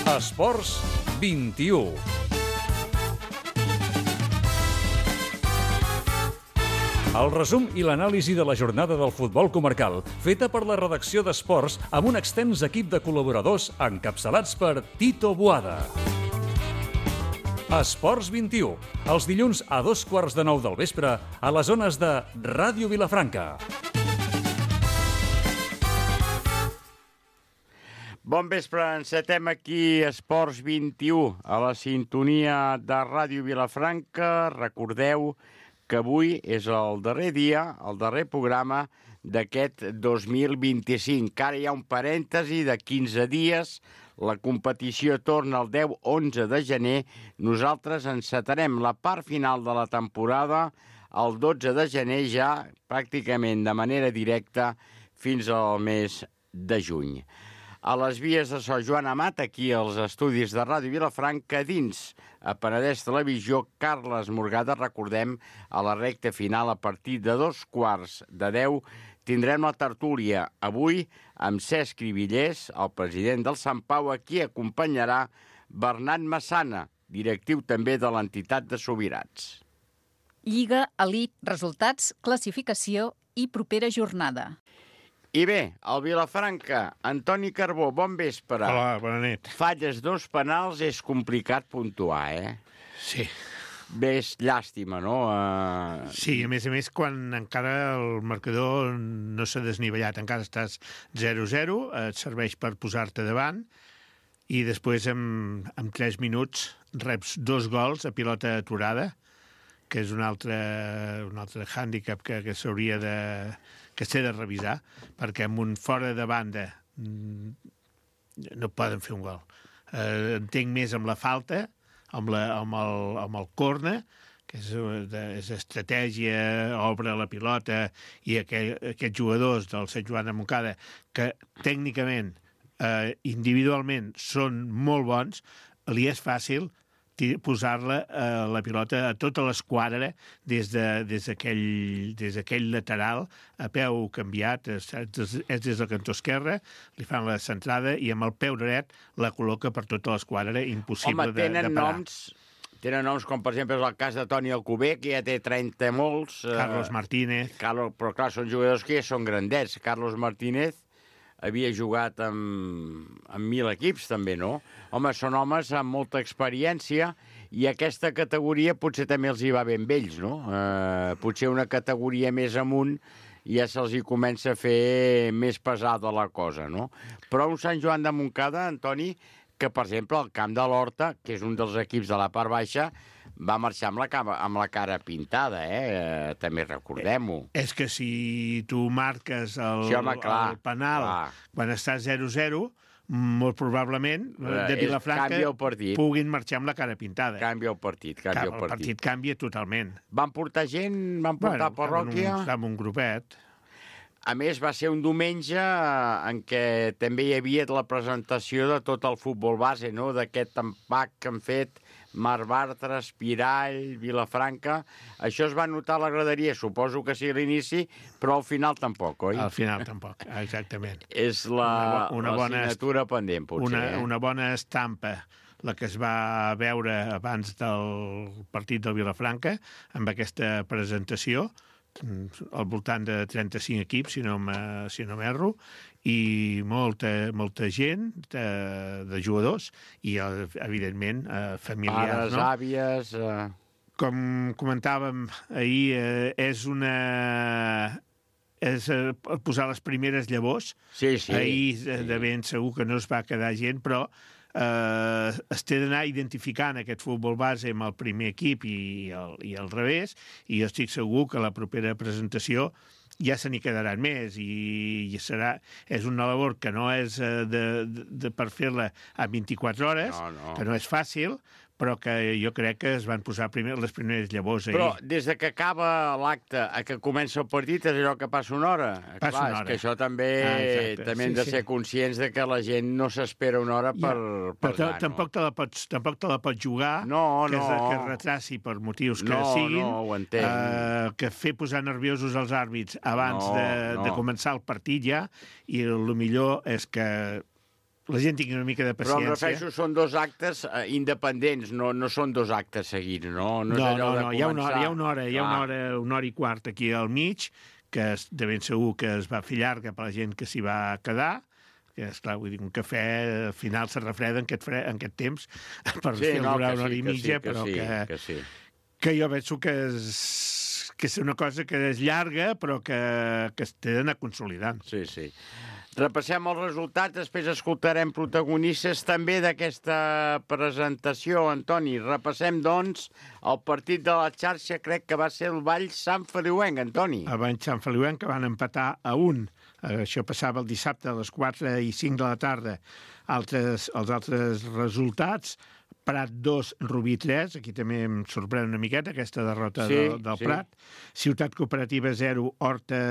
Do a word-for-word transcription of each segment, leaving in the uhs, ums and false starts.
Esports vint-i-u. El resum i l'anàlisi de la jornada del futbol comarcal, feta per la redacció d'Esports amb un extens equip de col·laboradors encapçalats per Tito Boada. Esports vint-i-u, els dilluns a dos quarts de nou del vespre a les zones de Ràdio Vilafranca. Bon vespre, encetem aquí Esports vint-i-u a la sintonia de Ràdio Vilafranca. Recordeu que avui és el darrer dia, el darrer programa d'aquest dos mil vint-i-cinc. Ara hi ha un parèntesi de quinze dies, la competició torna el deu onze de gener. Nosaltres encetarem la part final de la temporada el dotze de gener, ja pràcticament de manera directa fins al mes de juny. A les vies de Sant Joan Amat, aquí als estudis de Ràdio Vilafranca, dins a Penedès Televisió, Carles Morgada. Recordem, a la recta final, a partir de dos quarts de deu, tindrem la tertúlia avui amb Cesc Cribillers, el president del Sant Pau, a qui acompanyarà Bernat Massana, directiu també de l'entitat de Sobirats. Lliga, elit, resultats, classificació i propera jornada. I bé, el Vilafranca, Antoni Carbó, bon vespre. Hola, bona nit. Falles dos penals, és complicat puntuar, eh? Sí. Bé, és llàstima, no? Uh... Sí, a més a més, quan encara el marcador no s'ha desnivellat, encara estàs zero zero, et serveix per posar-te davant, i després, en, en tres minuts, reps dos gols a pilota aturada, que és un altre, un altre hàndicap que, que s'hauria de... que s'ha de revisar, perquè amb un fora de banda no poden fer un gol. Eh, entenc més amb la falta, amb, la, amb, el, amb el corner, que és, de, és estratègia, obre la pilota, i aquell, aquests jugadors del Sant Joan de Montcada, que tècnicament, eh, individualment, són molt bons, li és fàcil posar-la eh, la pilota a tota l'esquadra des d'aquell de, des d'aquell lateral a peu canviat, és, és des del cantó esquerre, li fan la centrada i amb el peu dret la col·loca per tota l'esquadra, impossible. Home, tenen de, de parar. Noms, tenen noms com, per exemple, és el cas de Toni Alcover, que ja té trenta molts. Carlos eh, Martínez. Carlos, però clar, són jugadors que ja són grandets. Carlos Martínez havia jugat amb, amb mil equips, també, no? Home, són homes amb molta experiència i aquesta categoria potser també els hi va ben vells, no? Eh, potser una categoria més amunt ja se'ls hi comença a fer més pesada la cosa, no? Però un Sant Joan de Montcada, Antoni, que, per exemple, el Camp de l'Horta, que és un dels equips de la part baixa, va marxar amb la, cama, amb la cara pintada, eh? També recordem-ho. És que si tu marques el, sí, home, clar, el penal clar. Quan estàs zero zero, molt probablement de Vilafranca puguin marxar amb la cara pintada. Canvia el partit, canvia el partit. El partit canvia totalment. Van portar gent? Van portar bueno, parròquia? Estava un, un grupet. A més, va ser un diumenge en què també hi havia la presentació de tot el futbol base, no? D'aquest empac que han fet Marc Bartra, Espirall, Vilafranca. Això es va notar a la graderia, suposo que sí a l'inici, però al final tampoc, oi? Al final tampoc, exactament. És la, una, una bona assignatura pendent, potser. Una, eh? una bona estampa, la que es va veure abans del partit del Vilafranca, amb aquesta presentació, al voltant de trenta-cinc equips, si no si no m'erro, i molta, molta gent de, de jugadors i, evidentment, familiars. Pares, no? àvies... Eh... Com comentàvem ahir, eh, és una... és eh, posar les primeres llavors. Sí, sí. Ahir sí. de ben segur que no es va quedar gent, però eh, es té d'anar identificant aquest futbol base amb el primer equip i el, i el revés, i jo estic segur que la propera presentació ja se n'hi quedaran més i, i serà, és una labor que no és de, de, de per fer-la a vint-i-quatre hores, no, no. que no és fàcil, però que jo crec que es van posar primer, les primeres llavors ahir. Però des de que acaba l'acte a que comença el partit és allò que passa una hora. Passa Clar, una hora. És que això també, ah, també hem sí, de ser sí. conscients de que la gent no s'espera una hora per, ja. per Però anar, tampoc, te la pots, tampoc te la pots jugar, no, que, no. es, que es retraci per motius que no, siguin, no, ho entenc. eh, que fer posar nerviosos els àrbits abans no, de, no. de començar el partit ja, i el millor és que la gent tingui una mica de Però em paciència. refereixo, són dos actes eh, independents, no, no són dos actes seguits, no? No, és No, allò no, de no, hi ha una hora, començar- hi ha una hora, hi ha una hora, una hora i quart aquí al mig, que és de ben segur que es va fer llarga per la gent que s'hi va quedar, que esclar, vull dir, un cafè al final se refreda en aquest, fre, en aquest temps per Sí, fer no, durar que una hora sí, i que mitja, sí, que però sí, que, que sí. que jo penso que és, que és una cosa que és llarga, però que, que es té d'anar consolidant. Sí, sí. Repassem els resultats, després escoltarem protagonistes també d'aquesta presentació, Antoni. Repassem, doncs, el partit de la xarxa, crec que va ser el Vall Sant Feliuenc, Antoni. A Banys Sant Feliuenc, que van empatar a un. Això passava el dissabte a les quatre i cinc de la tarda. Altres, els altres resultats, Prat dos, Rubí tres, aquí també em sorprèn una miqueta aquesta derrota Sí, del, del sí. Prat. Ciutat Cooperativa zero, Horta...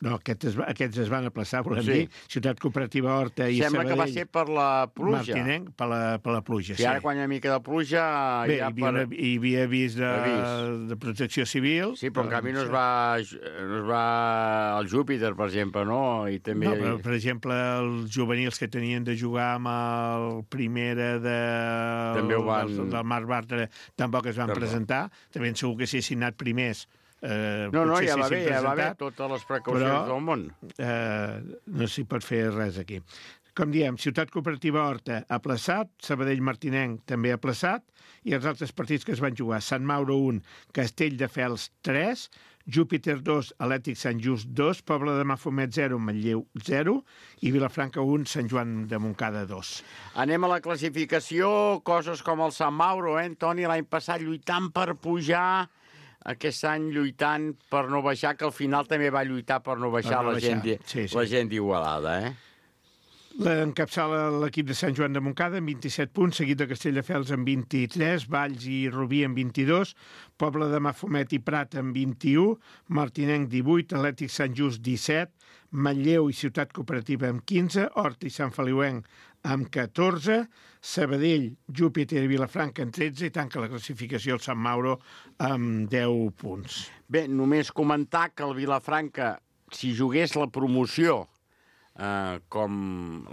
No, aquests es, aquests es van aplaçar, volem Sí. dir. Ciutat Cooperativa Horta i Sembla Sabadell. que va ser per la pluja. Martinenc, per la, per la pluja, Si ara quan hi ha una mica de pluja... Bé, ja hi havia, una, hi havia avís de, Avís. de protecció civil. Sí, però en canvi no es va, no es va el Júpiter, per exemple, no? I també... No, però, per exemple, els juvenils que tenien de jugar amb el Primera de... També ho van- del, del Marc Bartra tampoc es van Tampoc. presentar. També segur que si haguessin anat primers eh, No, no, potser ja va s'haguessin bé, ja va bé, presentat, totes les precaucions però- del món. eh, no s'hi pot fer res aquí. Com diem, Ciutat Cooperativa Horta aplaçat, Sabadell Martinenc també aplaçat, i els altres partits que es van jugar, Sant Mauro un, Castelldefels tres, Júpiter dos, Atlètic Sant Just dos, Pobla de Mafumet zero, Manlleu zero, i Vilafranca un, Sant Joan de Montcada dos. Anem a la classificació, coses com el Sant Mauro, eh, Antoni, l'any passat lluitant per pujar, aquest any lluitant per no baixar, que al final també va lluitar per no baixar, Per no la, baixar, gent, di- sí, sí. la gent d'Igualada, eh? L'encapçala l'equip de Sant Joan de Montcada amb vint-i-set punts, seguit de Castelldefels amb vint-i-tres, Valls i Rubí amb vint-i-dos, Pobla de Mafumet i Prat amb vint-i-u, Martinenc divuit, Atlètic Sant Just disset, Manlleu i Ciutat Cooperativa amb quinze, Horta i Sant Feliuenc amb catorze, Sabadell, Júpiter i Vilafranca amb tretze i tanca la classificació el Sant Mauro amb deu punts. Bé, només comentar que el Vilafranca, si jugués la promoció, eh, com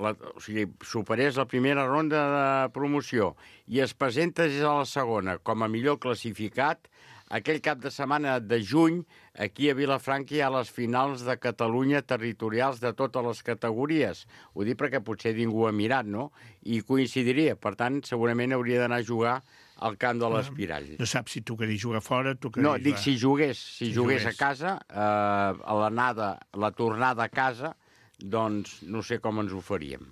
la, o sigui, superés la primera ronda de promoció i es presentés a la segona com a millor classificat, aquell cap de setmana de juny, aquí a Vilafranca hi ha les finals de Catalunya territorials de totes les categories. Ho dic perquè potser ningú ha mirat, no? I coincidiria. Per tant, segurament hauria d'anar a jugar al camp de l'Espirall. No saps si tocaria jugar fora, tocaria No, jugar... dic si jugués, si, Si jugués, jugués. a casa, eh, a l'anada, la tornada a casa, doncs no sé com ens ho faríem.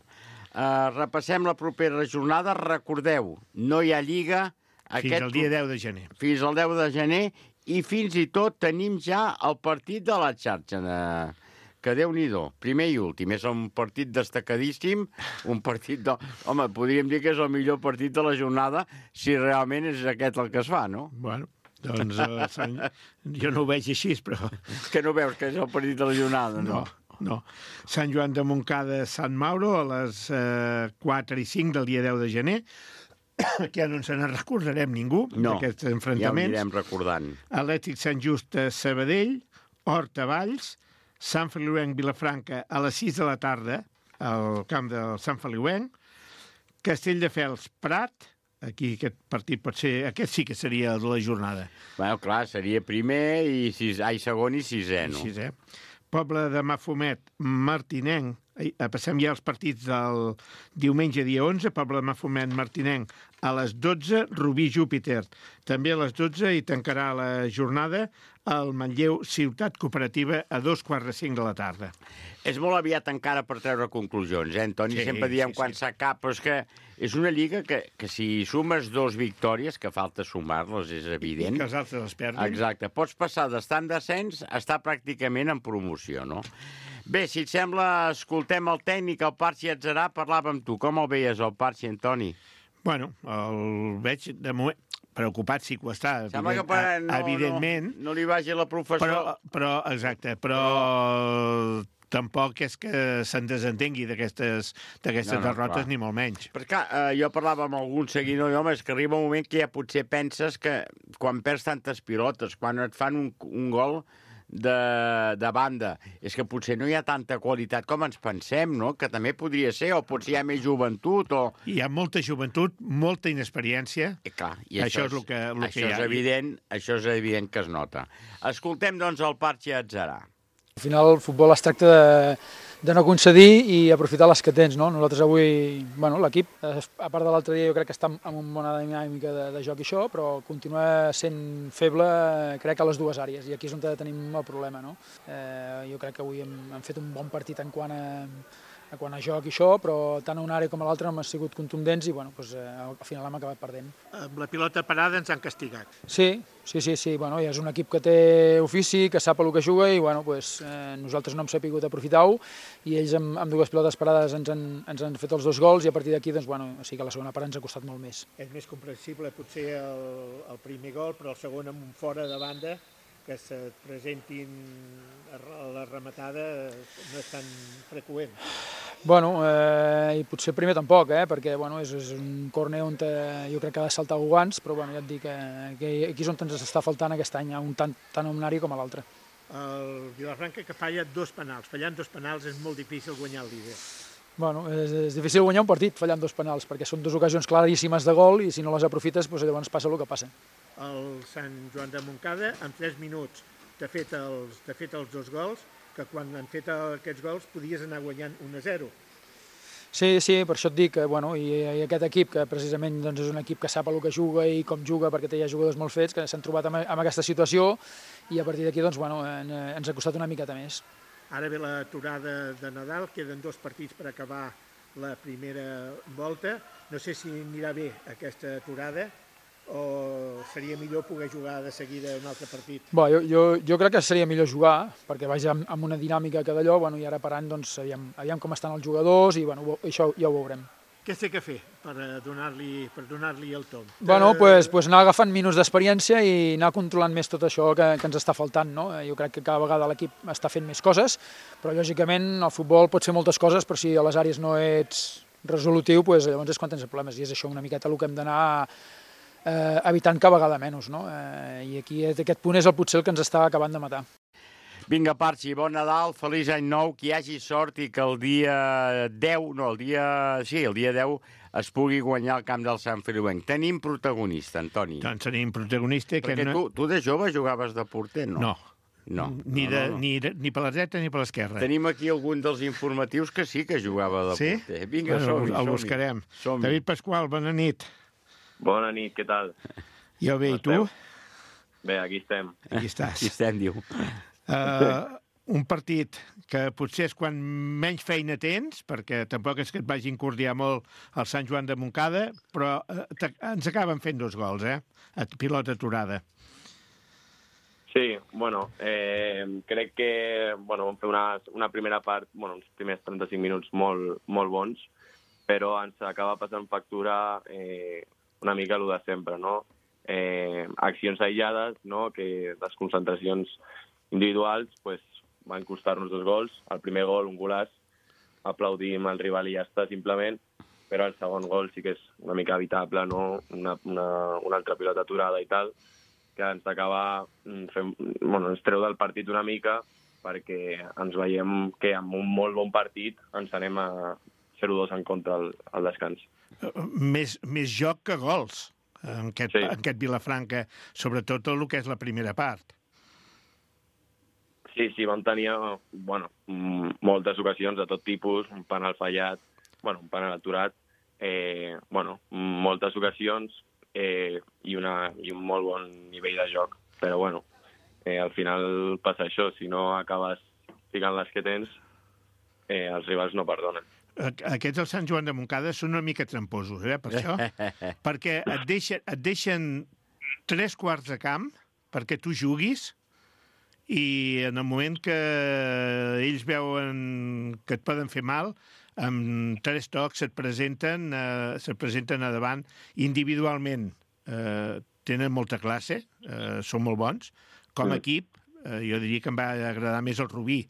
Eh, repassem la propera jornada. Recordeu, no hi ha lliga... Fins al dia deu de gener. Fins al deu de gener i fins i tot tenim ja el partit de la xarxa, de... que Déu-n'hi-do, primer i últim. És un partit destacadíssim, un partit de... Home, podríem dir que és el millor partit de la jornada si realment és aquest el que es fa, no? Bueno, doncs eh, Sant... jo no ho veig així, però... Que no veus que és el partit de la jornada, no? No, no. Sant Joan de Montcada, Sant Mauro, a les eh, quatre i cinc del dia deu de gener, que ja no ens en recordarem ningú, No, d'aquests ja ho enfrontaments. anirem recordant. Atlètic Sant Just a Sabadell, Horta Valls, Sant Feliuenc Vilafranca a les sis de la tarda, al camp del Sant Feliuenc, Castelldefels Prat, aquí aquest partit pot ser, aquest sí que seria el de la jornada. Bueno, clar, seria primer i, sis, ai, segon i sisè, no? Així, eh? Poble de Mafumet, Martinenc, eh, passem ja als partits del diumenge dia onze, Poble de Mafumet, Martinenc, a les dotze, Rubí Júpiter, també a les dotze, i tancarà la jornada el Manlleu Ciutat Cooperativa a dos quarts de cinc de la tarda. És molt aviat encara per treure conclusions, eh, Antoni? Sí, Sempre diem sí, quan sí. s'acaba, però és que és una lliga que, que si sumes dos victòries, que falta sumar-les, és I evident. que els altres els perdin. Exacte. Pots passar d'estar en descens a estar pràcticament en promoció, no? Bé, si et sembla, escoltem el tècnic, el Parxi Atzarà, parlava amb tu. Com el veies, el Parxi, Antoni? Bueno, el veig de moment preocupat, sí que ho està, Sembla que evident, per, no, evidentment, no, no li vagi la professor. però, però, exacte, però tampoc és que se'n desentengui d'aquestes d'aquestes No, no, derrotes, clar. ni molt menys. Perquè clar, eh, jo parlava amb algun seguidor, i, home, és que arriba un moment que ja potser penses que quan perds tantes pilotes, quan et fan un, un gol, de, de banda és que potser no hi ha tanta qualitat com ens pensem, no? Que també podria ser, o potser hi ha més joventut, o... Hi ha molta joventut, molta inexperiència. I clar, i això, això és el que, el això que hi ha. És evident, això és evident que es nota. Escoltem, doncs, el Parchi Atzarà. Al final el futbol es tracta de, de no concedir i aprofitar les que tens, no? Nosaltres avui, bueno, l'equip, a part de l'altre dia, jo crec que està en una bona dinàmica de, de joc i això, però continua sent feble, crec, a les dues àrees, i aquí és on tenim el problema, no? Eh, jo crec que avui hem, hem fet un bon partit en quant a, a quant a joc i això, però tant a una àrea com a l'altra hem sigut contundents i, bueno, doncs, eh, al final hem acabat perdent. Amb la pilota parada ens han castigat. Sí, sí, sí, sí. Bueno, ja és un equip que té ofici, que sap el que juga i bueno, pues, eh, nosaltres no hem sabut aprofitar-ho i ells amb, amb dues pilotes parades ens han, ens han fet els dos gols i a partir d'aquí doncs, bueno, sí que la segona part ens ha costat molt més. És més comprensible potser el, el primer gol, però el segon amb un fora de banda que se presentin a la rematada no és tan freqüent. Bueno, eh, i potser primer tampoc, eh, perquè bueno, és, és un córner on te, jo crec que ha de saltar guants, però bueno, ja et dic que, que aquí és on ens està faltant aquest any, un tant, tant a un àrea com a l'altre. El Vilafranca que falla dos penals. Fallant dos penals és molt difícil guanyar el líder. Bueno, és, és difícil guanyar un partit fallant dos penals, perquè són dues ocasions claríssimes de gol i si no les aprofites, doncs llavors passa el que passa. El Sant Joan de Montcada, en tres minuts, t'ha fet, els, t'ha fet els dos gols, que quan han fet aquests gols podies anar guanyant un a zero. Sí, sí, per això et dic que bueno, i, i aquest equip, que precisament doncs, és un equip que sap el que juga i com juga, perquè té ja jugadors molt fets, que s'han trobat en, en aquesta situació i a partir d'aquí doncs, bueno, en, ens ha costat una miqueta més. Ara ve l'aturada de Nadal, queden dos partits per acabar la primera volta. No sé si anirà bé aquesta aturada o seria millor poder jugar de seguida un altre partit? Bé, jo, jo, jo crec que seria millor jugar, perquè vaig amb, amb una dinàmica que d'allò, bueno, i ara parant, doncs, aviam, aviam com estan els jugadors i bueno, això ja ho veurem. Què sé què fer per donar-li per donar-li el tom? Bueno, pues, pues anar agafant minuts d'experiència i anar controlant més tot això que, que ens està faltant, no? Jo crec que cada vegada l'equip està fent més coses, però lògicament el futbol pot fer moltes coses, però si a les àrees no ets resolutiu, pues, llavors és quan tens problemes, i és això una miqueta el que hem d'anar eh, evitant cada vegada menys, no? Eh, I aquí aquest punt és el potser el que ens està acabant de matar. Vinga, Parchi, bon Nadal, feliç any nou, que hi hagi sort i que el dia deu, no, el dia, sí, el dia deu es pugui guanyar el camp del Sant Feliuenc. Tenim protagonista, Antoni. Doncs tenim protagonista. Perquè que no... tu, tu de jove jugaves de porter, no? No. No. Ni, de, no, no, no. Ni, de, ni per la dreta ni per l'esquerra. Tenim aquí algun dels informatius que sí que jugava de sí? porter. Vinga, bueno, som-hi, el som-hi. buscarem. Som David Pasqual, bona nit. Bona nit, què tal? Jo bé, i tu? Bé, aquí estem. Aquí estàs. Aquí estem, diu. Uh, un partit que potser és quan menys feina tens, perquè tampoc és que et vagi incordiar molt el Sant Joan de Montcada, però uh, ens acaben fent dos gols, eh? A pilota aturada. Sí, bueno, eh, crec que bueno, vam fer una, una primera part, bueno, uns primers trenta-cinc minuts molt, molt bons, però ens acaba passant factura eh, una mica el de sempre, no? Eh, accions aïllades, no? Que les concentracions individuals pues, van costar-nos dos gols. El primer gol, un golaç, aplaudim el rival i ja està, simplement, però el segon gol sí que és una mica evitable, no? Una, una, una altra pilota aturada i tal, que ens acaba fent, bueno, ens treu del partit una mica perquè ens veiem que amb un molt bon partit ens anem a zero dos en contra al, al descans. Més, més joc que gols en aquest, sí. en aquest Vilafranca, sobretot el que és la primera part. Sí, sí, vam tenir bueno, moltes ocasions de tot tipus, un penal fallat, bueno, un penal aturat, eh, bueno, moltes ocasions eh, i, una, i un molt bon nivell de joc. Però, bueno, eh, al final passa això, si no acabes ficant les que tens, eh, els rivals no perdonen. Aquests del Sant Joan de Montcada són una mica tramposos, eh, per això, perquè et deixen, et deixen tres quarts de camp perquè tu juguis i en el moment que ells veuen que et poden fer mal, amb tres tocs se't presenten, eh, se't presenten a davant individualment. Eh, tenen molta classe, eh, són molt bons. Com a equip, eh, jo diria que em va agradar més el Rubí,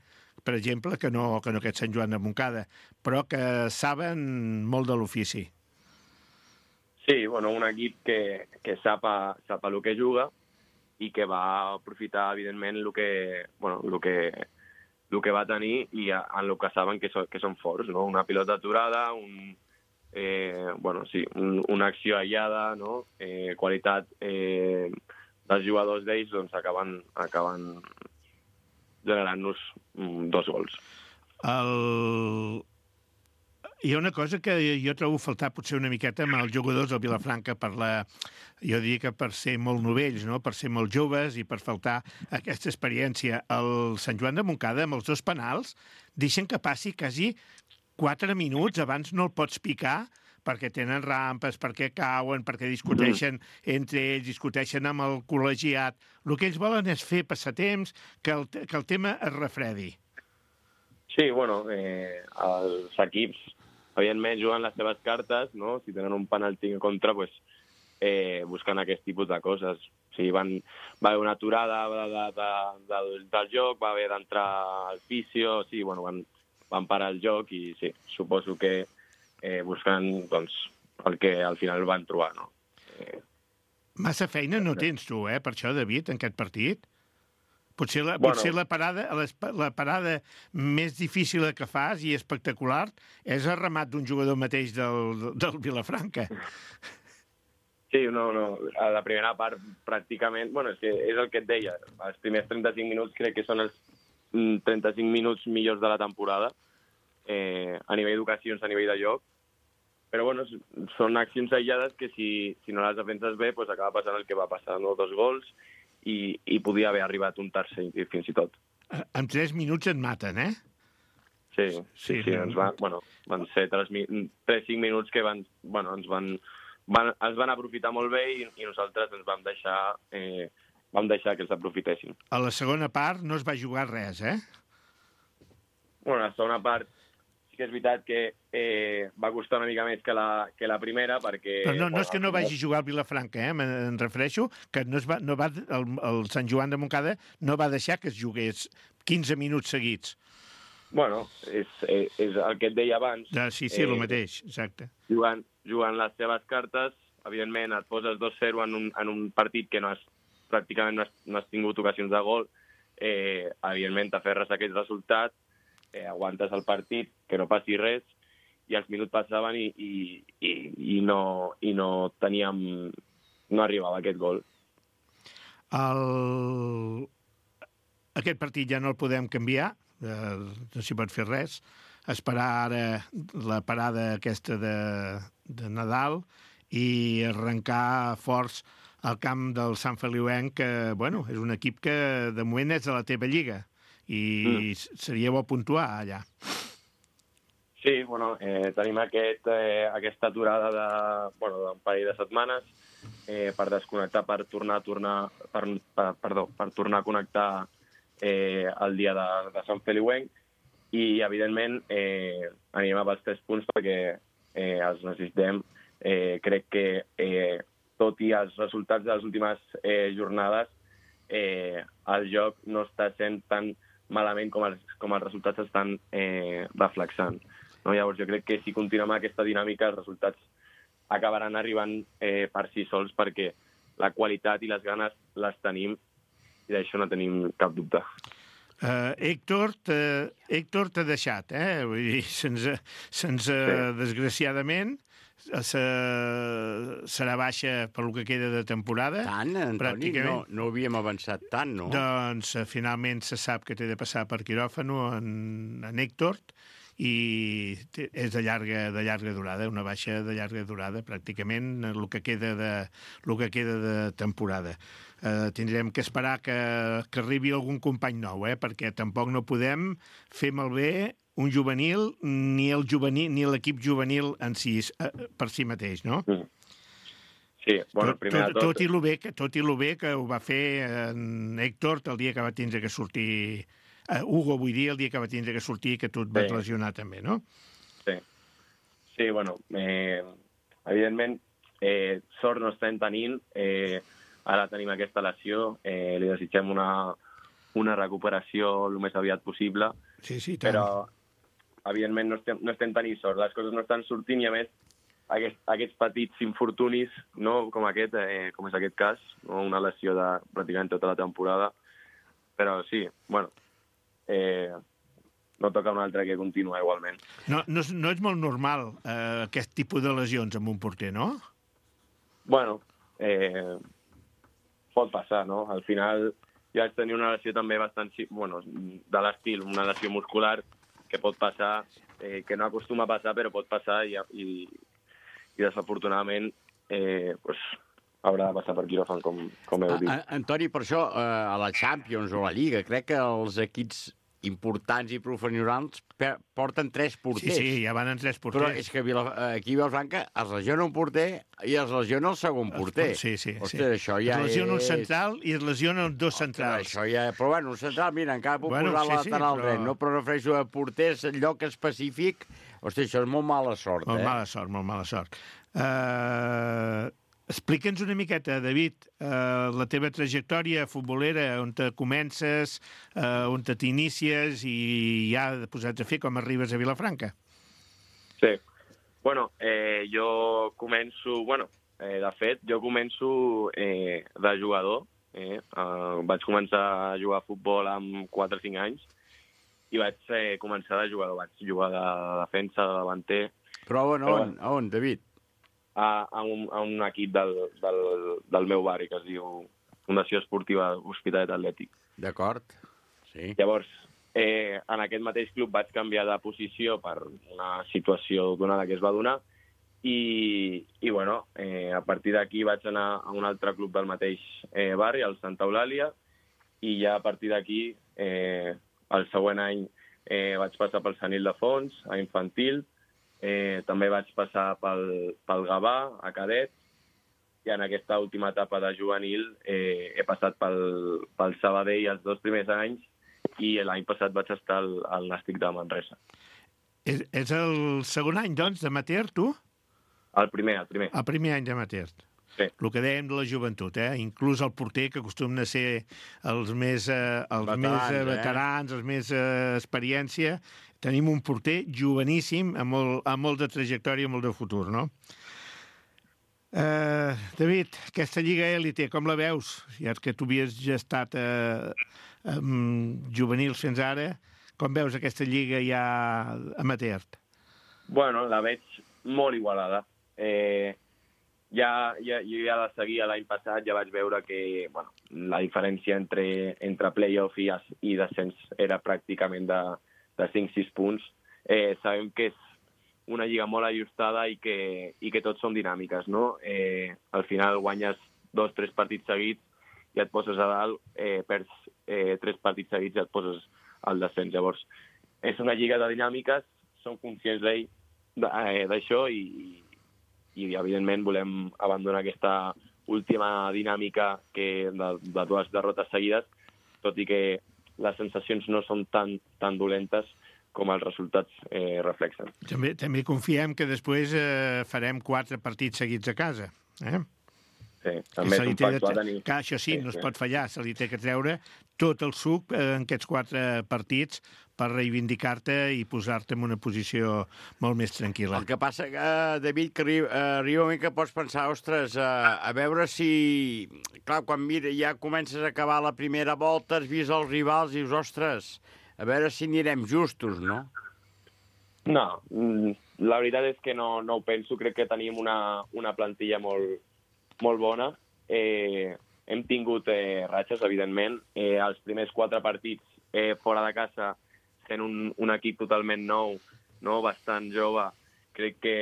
per exemple, que no, que no aquest Sant Joan de Montcada, però que saben molt de l'ofici. Sí, bueno, un equip que, que sap, a, sap a lo que juga i que va aprofitar, evidentment, el que, bueno, el que, el que va tenir i en el que saben que, so, que són forts, no? Una pilota aturada, un, eh, bueno, sí, un, una acció aïllada, no? eh, qualitat eh, dels jugadors d'ells, doncs acaben, acaben generant-nos mm, dos gols. El... Hi ha una cosa que jo trobo faltar potser una miqueta amb els jugadors del Vilafranca per la... Jo diria que per ser molt novells, no? Per ser molt joves i per faltar aquesta experiència. El Sant Joan de Montcada, amb els dos penals, deixen que passi quasi quatre minuts, abans no el pots picar, perquè tenen rampes, perquè cauen, perquè discuteixen entre ells, discuteixen amb el col·legiat. El que ells volen és fer passatemps, que el, que el tema es refredi. Sí, bueno, eh, els equips, evidentment, juguen les seves cartes, no? Si tenen un penalti en contra, pues, eh, busquen aquest tipus de coses. O sigui, van, va haver una aturada de, de, de, del, del joc, va haver d'entrar al fisio, sí, bueno, van, van parar el joc i sí, suposo que eh, buscant doncs, el que al final van trobar, no? Eh, Massa feina no tens tu, eh, per això, David, en aquest partit? Potser la, Bueno. potser la, parada, la parada més difícil que fas i espectacular és el remat d'un jugador mateix del, del Vilafranca. Sí, no, no. A la primera part, pràcticament... Bueno, és, que és el que et deia. Els primers trenta-cinc minuts crec que són els trenta-cinc minuts millors de la temporada, eh, a nivell d'ocasions, a nivell de joc. Però, bueno, són accions aïllades que si, si no les defenses bé, pues acaba passant el que va passar, no? Dos gols, i, i podia haver arribat un tercer, fins i tot. En tres minuts et maten, eh? Sí, Sí, sí, sí no. ens van, bueno, van ser tres, tres cinc minuts que van, bueno, ens van, van, ens van aprofitar molt bé i, i nosaltres ens vam deixar, eh, vam deixar que els aprofitessin. A la segona part no es va jugar res, eh? Bueno, la segona part sí que és veritat que eh, va costar una mica més que la, que la primera, perquè... Però no, no bueno, és que no vagi a jugar al Vilafranca, eh? Me'n refereixo que no es va, no va, el, el Sant Joan de Montcada no va deixar que es jugués quinze minuts seguits. Bueno, és, és, és el que et deia abans. Ja, sí, sí, eh, el mateix, exacte. Jugant, jugant les seves cartes, evidentment et poses dos zero en un, en un partit que no has, pràcticament no has, no has tingut ocasions de gol, eh, evidentment t'aferres a aquest resultat, eh, aguantes el partit, que no passi res, i els minuts passaven i, i, i, i, no, i no teníem... no arribava aquest gol. El... Aquest partit ja no el podem canviar, eh, no s'hi pot fer res, esperar ara la parada aquesta de, de Nadal i arrencar forts al camp del Sant Feliuenc, que, bueno, és un equip que de moment és de la teva lliga i mm. seria bo puntuar allà. Sí, bueno, eh, tenim aquest, eh, aquesta aturada de, bueno, d'un parell de setmanes eh, per desconnectar, per tornar a tornar, per, per, perdó, per tornar a connectar eh, el dia de, de Sant Feliuenc i, evidentment, eh, anirem a pels tres punts perquè eh, els necessitem. Eh, crec que, eh, tot i els resultats de les últimes eh, jornades, eh, el joc no està sent tan malament com els, com els resultats estan eh, reflexant. No? Llavors, jo crec que si continuem aquesta dinàmica, els resultats acabaran arribant eh, per si sols perquè la qualitat i les ganes les tenim i d'això no tenim cap dubte. Uh, Héctor t'ha deixat, eh? Vull dir, se'ns, se'ns sí. desgraciadament, se, serà baixa per lo que queda de temporada. Tant, Antoni? No, no havíem avançat tant, no? Doncs uh, finalment se sap que té de passar per quiròfano en, en Héctor i és de llarga, de llarga durada, una baixa de llarga durada, pràcticament el que queda de, el que queda de temporada. Uh, tindrem que esperar que, que arribi algun company nou, eh? Perquè tampoc no podem fer malbé un juvenil ni el juvenil ni l'equip juvenil en si, uh, per si mateix, no? Mm. Sí, bueno, tot, primer tot, de tot... Tot i lo bé que, tot i lo bé que ho va fer en Héctor el dia que va tindre que sortir... Uh, Hugo, vull dir, el dia que va tindre que sortir que tu et vas sí. lesionar també, no? Sí, sí, bueno, eh, evidentment, eh, sort no estem tenint, eh, ara tenim aquesta lesió, eh, li desitgem una, una recuperació el més aviat possible, sí, sí, tant. Però evidentment no estem, no estem tenint sort, les coses no estan sortint i a més aquest, aquests petits infortunis, no? com aquest, eh, com és aquest cas, no? Una lesió de pràcticament tota la temporada, però sí, bueno, eh, no toca un altre que continua igualment. No, no, és, no és molt normal eh, aquest tipus de lesions amb un porter, no? Bueno, eh, pot passar, no? Al final jo vaig tenir una lesió també bastant, bueno, de l'estil, una lesió muscular que pot passar, eh, que no acostuma a passar, però pot passar i, i, i desafortunadament eh, pues, haurà de passar per quiròfan, com, com heu dit. A, a, Antoni, per això, eh, a la Champions o a la Lliga, crec que els equips importants i professionals porten tres porters. Sí, sí, ja van en tres porters. Però és que Vila, aquí a Vilafranca es lesiona un porter i es lesiona el segon porter. Sí, sí. Ostres, sí. això ja es lesiona és... un central i es lesionen dos centrals. Ostres, això ja... Però bueno, un central, mira, encara puc bueno, posar sí, lateral sí, dret, però... no? Però refereixo a porters en lloc específic. Ostres, això és molt mala sort, molt eh? mala sort, molt mala sort. Uh, Explica'ns una miqueta, David, uh, la teva trajectòria futbolera, on te comences, uh, on te t'inicies i ja posats a fer com arribes a Vilafranca. Sí. Bueno, eh, jo començo... Bueno, eh, de fet, jo començo eh, de jugador. Eh? Uh, vaig començar a jugar a futbol amb quatre o cinc anys i vaig eh, començar de jugador. Vaig jugar de defensa, de davanter. Però on, Però, on, on, David? A, a, un, a un equip del, del, del meu barri, que es diu Fundació Esportiva Hospitalet Atlètic. D'acord, sí. Llavors, eh, en aquest mateix club vaig canviar de posició per una situació donada que es va donar i, i bueno, eh, a partir d'aquí vaig anar a un altre club del mateix eh, barri, el Santa Eulàlia, i ja a partir d'aquí, eh, el següent any, eh, vaig passar pel Sant Ildefons, a infantil. Eh, també vaig passar pel, pel Gavà, a cadet, i en aquesta última etapa de juvenil eh, he passat pel, pel Sabadell els dos primers anys i l'any passat vaig estar al, al Nàstic de Manresa. És, és el segon any, doncs, d'amateur, tu? El primer, el primer. El primer any d'amateur. Sí. El que dèiem de la joventut, eh? Inclús el porter, que acostumen a ser els més, eh, els veterans, més eh, veterans eh? els més eh, experiència. Tenim un porter joveníssim, amb molt, amb molt de trajectòria, molt de futur, no? Uh, David, aquesta Lliga Élite, com la veus? Ja que tu havies ja estat eh, um, juvenils fins ara, com veus aquesta Lliga ja amateur? Bueno, la veig molt igualada. Eh, ja, ja, jo ja la seguia l'any passat, ja vaig veure que bueno, la diferència entre, entre play-off i, i descens era pràcticament de, de cinc sis punts. Eh, sabem que és una lliga molt ajustada i que, i que tots són dinàmiques, no? Eh, al final guanyes dos, tres partits seguits i et poses a dalt, eh, perds eh, tres partits seguits i et poses al descens. Llavors, és una lliga de dinàmiques, som conscients d'això i, i, evidentment, volem abandonar aquesta última dinàmica que de, de dues derrotes seguides, tot i que les sensacions no són tan, tan dolentes com els resultats eh, reflexen. També, també confiem que després eh, farem quatre partits seguits a casa. Eh? Sí, també és un factor a tenir. Que això sí, sí, no es sí. pot fallar, se li té que treure tot el suc en aquests quatre partits per reivindicar-te i posar-te en una posició molt més tranquil·la. El que passa, uh, David, que arriba, uh, arriba un moment que pots pensar, ostres, uh, a veure si... Clar, quan mira, ja comences a acabar la primera volta, has vist els rivals i dius, ostres, a veure si anirem justos, no? No, la veritat és que no, no ho penso. Crec que tenim una, una plantilla molt, molt bona. Eh, hem tingut eh, ratxes, evidentment. Eh, els primers quatre partits eh, fora de casa, sent un, un equip totalment nou, no? Bastant jove, crec que,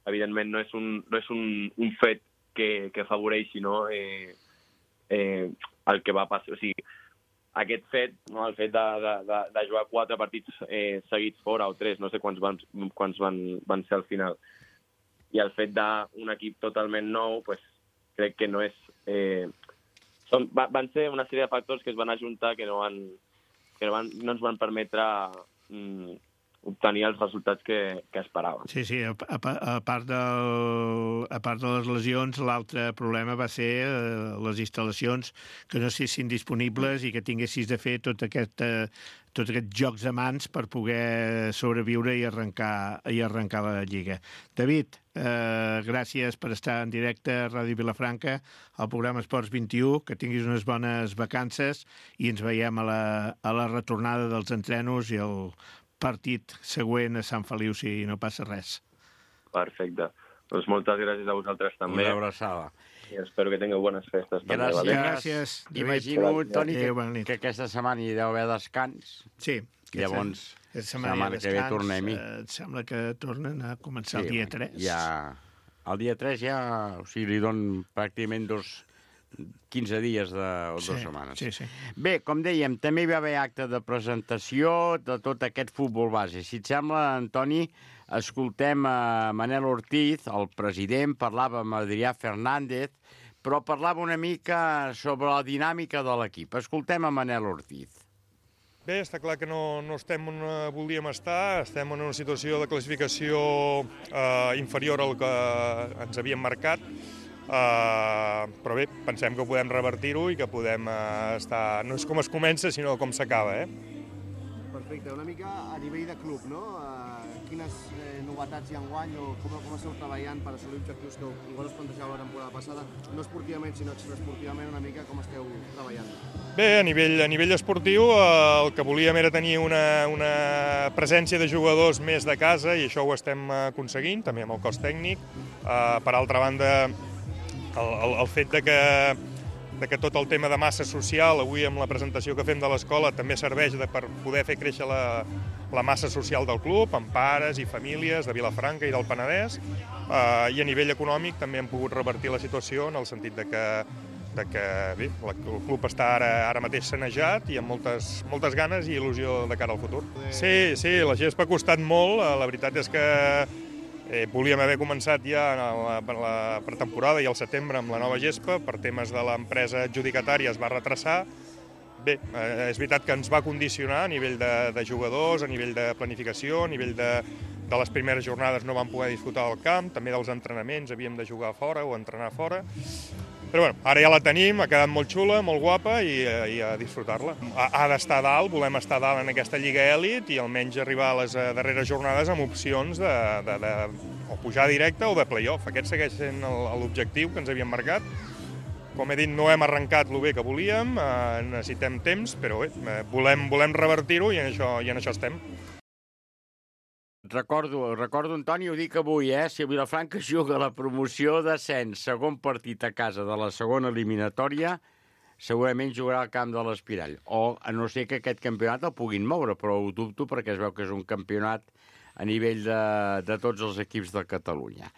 evidentment, no és un, no és un, un fet que, que afavoreixi, no? eh, eh, el que va passar. O sigui, aquest fet, no? El fet de, de, de, de jugar quatre partits eh, seguits fora, o tres, no sé quants van, quants van, van ser al final, i el fet d'un equip totalment nou, pues, crec que no és... Eh, són, van ser una sèrie de factors que es van ajuntar que no, van, que no, van, no ens van permetre mm, obtenir els resultats que, que esperàvem. Sí, sí, a, a, a, part del, a part de les lesions, l'altre problema va ser eh, les instal·lacions que no siguessin disponibles i que tinguessis de fer tot aquest, eh, tot aquests jocs de mans per poder sobreviure i arrencar, i arrencar la Lliga. David, Eh, gràcies per estar en directe a Ràdio Vilafranca, al programa Esports vint-i-u, que tinguis unes bones vacances i ens veiem a la, a la retornada dels entrenos i el partit següent a Sant Feliu, si no passa res. Perfecte. Doncs moltes gràcies a vosaltres també. Una abraçada. I espero que tingueu bones festes. Gràcies. També, vale? Gràcies, David. Imagino, Toni, que, Adéu, bona nit. que aquesta setmana hi deu haver descans. Sí. Llavors, Aquesta setmana que ve tornem-hi. Eh, em sembla que tornen a començar Sí, el dia tres. Ja, el dia tres ja, o sigui, li donen pràcticament dos, quinze dies de, o Sí, dues setmanes. sí, sí. Bé, com dèiem, també hi va haver acte de presentació de tot aquest futbol base. Si et sembla, Antoni, escoltem a Manel Ortiz, el president, parlava amb Adrià Fernández, però parlava una mica sobre la dinàmica de l'equip. Escoltem a Manel Ortiz. Bé, està clar que no, no estem on volíem estar, estem en una situació de classificació eh, inferior al que ens havíem marcat, eh, però bé, pensem que podem revertir-ho i que podem eh, estar... No és com es comença, sinó com s'acaba, eh? Perfecte, una mica a nivell de club, no? Uh, quines eh, novetats hi ha enguany o com, com esteu treballant per assolir objectius que igual us plantejàveu la temporada passada, no esportivament, sinó extraesportivament, una mica com esteu treballant? Bé, a nivell, a nivell esportiu eh, el que volíem era tenir una, una presència de jugadors més de casa i això ho estem aconseguint, també amb el cos tècnic. Eh, per altra banda, el, el, el fet de que de que tot el tema de massa social, avui amb la presentació que fem de l'escola, també serveix de, per poder fer créixer la, la massa social del club, amb pares i famílies de Vilafranca i del Penedès, eh, i a nivell econòmic també hem pogut revertir la situació en el sentit de que, de que bé, la, el club està ara, ara mateix sanejat i amb moltes, moltes ganes i il·lusió de cara al futur. Sí, sí, la gespa ha costat molt, la veritat és que Eh, volíem haver començat ja en la, en la pretemporada i al setembre amb la nova gespa, per temes de l'empresa adjudicatària es va retrasar. Bé, eh, és veritat que ens va condicionar a nivell de, de jugadors, a nivell de planificació, a nivell de, de les primeres jornades no vam poder disfrutar del camp, també dels entrenaments havíem de jugar fora o entrenar fora. Però bueno, ara ja la tenim, ha quedat molt xula, molt guapa i, i a disfrutar-la. Ha, ha d'estar a dalt, volem estar a dalt en aquesta Lliga Elit i almenys arribar a les darreres jornades amb opcions de, de, de o pujar directe o de play-off. Aquest segueix sent l'objectiu que ens havíem marcat. Com he dit, no hem arrencat el bé que volíem, eh, necessitem temps, però bé, volem, volem revertir-ho i en això, i en això estem. Recordo, recordo, Antoni, ho dic avui, eh? Si el Vilafranca juga a la promoció d'ascens, segon partit a casa de la segona eliminatòria, segurament jugarà al camp de l'Espirall. O, a no ser que aquest campionat el puguin moure, però ho dubto perquè es veu que és un campionat a nivell de, de tots els equips de Catalunya.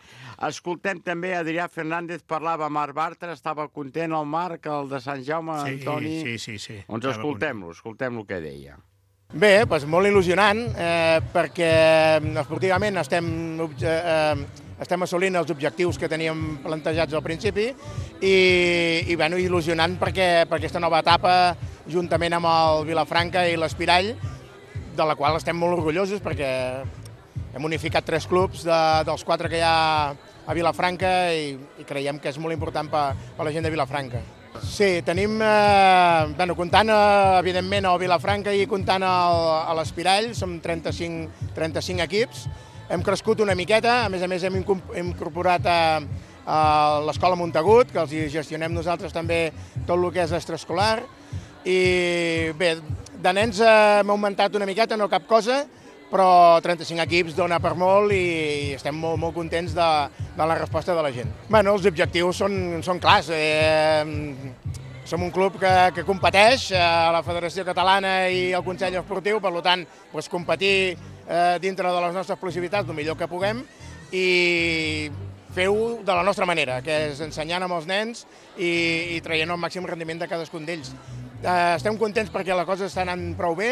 Escoltem també Adrià Fernández, parlava amb Marc Bartra, estava content el Marc, el de Sant Jaume, sí, Antoni... Sí, sí, sí. Doncs escoltem-lo, escoltem el que deia. Bé, doncs molt il·lusionant, eh, perquè esportivament estem, eh, estem assolint els objectius que teníem plantejats al principi i, i bueno, il·lusionant perquè per aquesta nova etapa, juntament amb el Vilafranca i l'Espirall, de la qual estem molt orgullosos perquè hem unificat tres clubs de, dels quatre que hi ha a Vilafranca i, i creiem que és molt important per, per la gent de Vilafranca. Sí, tenim, eh, bueno, comptant eh, evidentment el Vilafranca i comptant el, a l'Espirall, som trenta-cinc, trenta-cinc equips, hem crescut una miqueta, a més a més hem incorporat a, a l'Escola Montagut, que els gestionem nosaltres també tot el que és extraescolar, i bé, de nens hem augmentat una miqueta, no cap cosa, però trenta-cinc equips dona per molt i estem molt, molt contents de, de la resposta de la gent. Bueno, els objectius són, són clars. Eh, som un club que, que competeix a la Federació Catalana i al Consell Esportiu, per tant, doncs, competir eh, dintre de les nostres possibilitats el millor que puguem i fer-ho de la nostra manera, que és ensenyant amb els nens i, i traient el màxim rendiment de cadascun d'ells. Eh, estem contents perquè la cosa està anant prou bé,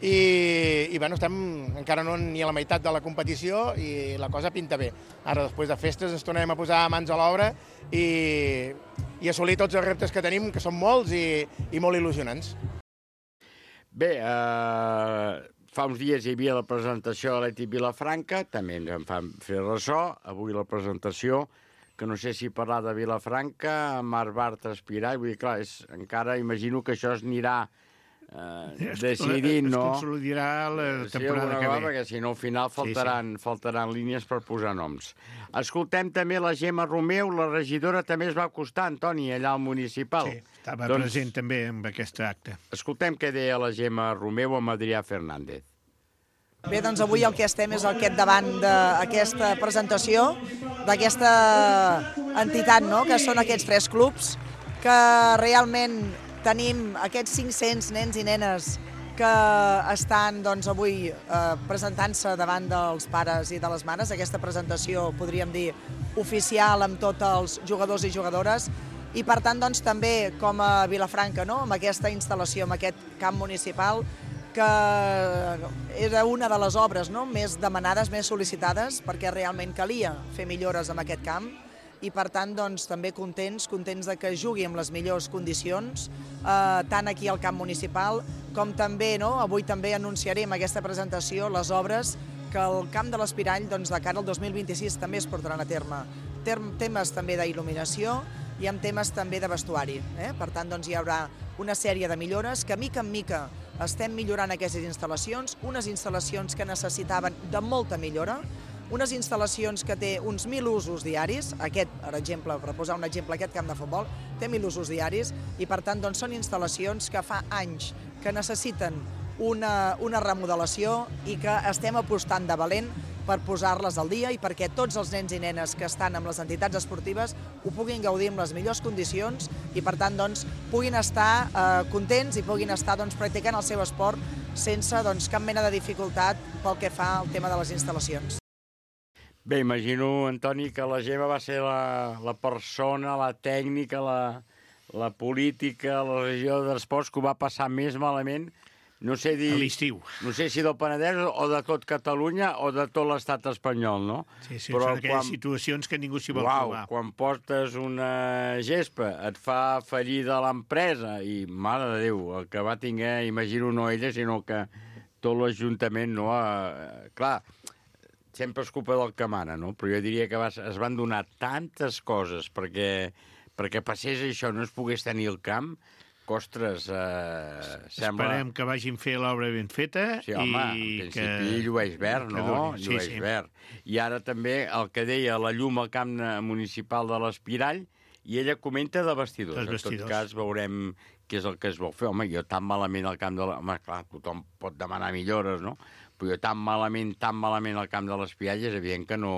i, i bueno, estem encara no ni a la meitat de la competició i la cosa pinta bé. Ara, després de festes, ens tornarem a posar mans a l'obra i, i assolir tots els reptes que tenim, que són molts i, i molt il·lusionants. Bé, eh, fa uns dies hi havia la presentació de l'Eti Vilafranca, també ens en fan fer ressò, avui la presentació, que no sé si parlar de Vilafranca, Marc Bartra, Espirall, vull dir, clar, és, encara imagino que això es anirà eh, decidint, no? Es consolidarà la temporada que ve. Perquè si no, al final faltaran, sí, sí. faltaran línies per posar noms. Escoltem també la Gemma Romeu, la regidora també es va acostar, Antoni, allà al municipal. Sí, estava doncs, present també en aquest acte. Escoltem què deia la Gemma Romeu amb Adrià Fernández. Bé, doncs avui el que estem és al davant d'aquesta presentació, d'aquesta entitat, no?, que són aquests tres clubs, que realment tenim aquests cinc-cents nens i nenes que estan doncs, avui eh, presentant-se davant dels pares i de les mares. Aquesta presentació, podríem dir, oficial amb tots els jugadors i jugadores. I per tant, doncs, també com a Vilafranca, no?, amb aquesta instal·lació, amb aquest camp municipal, que era una de les obres, no?, més demanades, més sol·licitades, perquè realment calia fer millores en aquest camp. I per tant, doncs, també contents, contents de que jugui amb les millors condicions, eh, tant aquí al camp municipal, com també, no?, avui també anunciarem aquesta presentació, les obres que el camp de l'Espirall, doncs, de cara al dos mil vint-i-sis també es portaran a terme. Temes també d'il·luminació i amb temes també de vestuari. Eh? Per tant, doncs, hi haurà una sèrie de millores que, mica en mica, estem millorant aquestes instal·lacions, unes instal·lacions que necessitaven de molta millora, unes instal·lacions que té uns mil usos diaris, aquest, per exemple, per posar un exemple, aquest camp de futbol, té mil usos diaris, i per tant doncs, són instal·lacions que fa anys que necessiten una, una remodelació i que estem apostant de valent per posar-les al dia i perquè tots els nens i nenes que estan amb les entitats esportives ho puguin gaudir en les millors condicions i per tant doncs, puguin estar eh, contents i puguin estar doncs, practicant el seu esport sense doncs, cap mena de dificultat pel que fa al tema de les instal·lacions. Bé, imagino, Antoni, que la Gemma va ser la, la persona, la tècnica, la, la política, la regió d'esports que ho va passar més malament, no sé dir... A l'estiu. No sé si del Penedès o de tot Catalunya o de tot l'estat espanyol, no? Sí, sí, però són aquelles quan... situacions que ningú s'hi vol Uau, trobar. Quan portes una gespa, et fa fallida l'empresa i, mare de Déu, el que va tinguer, imagino, no ella, sinó que tot l'Ajuntament, no? Eh, clar, sempre és culpa del que mana, no? Però jo diria que vas, es van donar tantes coses perquè, perquè passés això, no es pogués tenir el camp, que, ostres, eh, sembla... Esperem que vagin fer l'obra ben feta. Sí, home, i en principi que... llueix verd, no? Sí, llueix sí. verd. I ara també el que deia la llum al camp municipal de l'Espirall, i ella comenta de vestidors. vestidors. En tot cas veurem què és el que es vol fer. Home, jo tan malament al camp de la... Home, clar, tothom pot demanar millores, no? Però jo tan malament, tan malament al camp de l'Espirall és evident que no,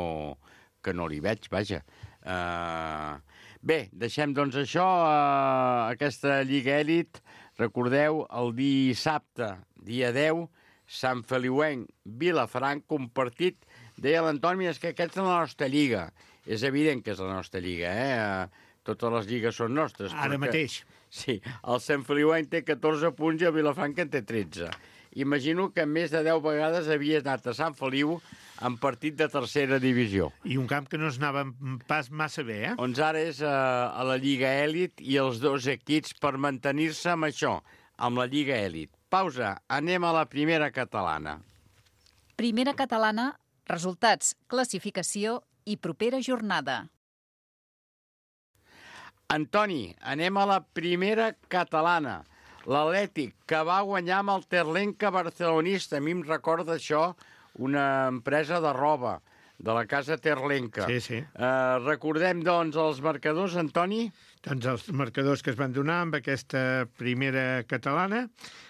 que no li veig, vaja. Uh... Bé, deixem doncs això, uh, aquesta Lliga Elit. Recordeu, el dissabte, dia deu, Sant Feliuenc, Vilafranca, un partit, deia l'Antoni, és que aquesta és la nostra lliga. És evident que és la nostra lliga, eh? Uh, totes les lligues són nostres. Ara perquè... mateix. Sí, el Sant Feliuenc té catorze punts i el Vilafranca en té tretze. Imagino que més de deu vegades havies anat a Sant Feliu en partit de tercera divisió. I un camp que no es anava pas massa bé, eh? Doncs ara és a, a la Lliga Elit i els dos equips per mantenir-se amb això, amb la Lliga Elit. Pausa, anem a la primera catalana. Primera catalana, resultats, classificació i propera jornada. Antoni, anem a la primera catalana. L'Atlètic, que va guanyar amb el Terlenca barcelonista. A mi em recorda això, una empresa de roba de la casa Terlenca. Sí, sí. Uh, recordem, doncs, els marcadors, Antoni? Doncs els marcadors que es van donar amb aquesta primera catalana.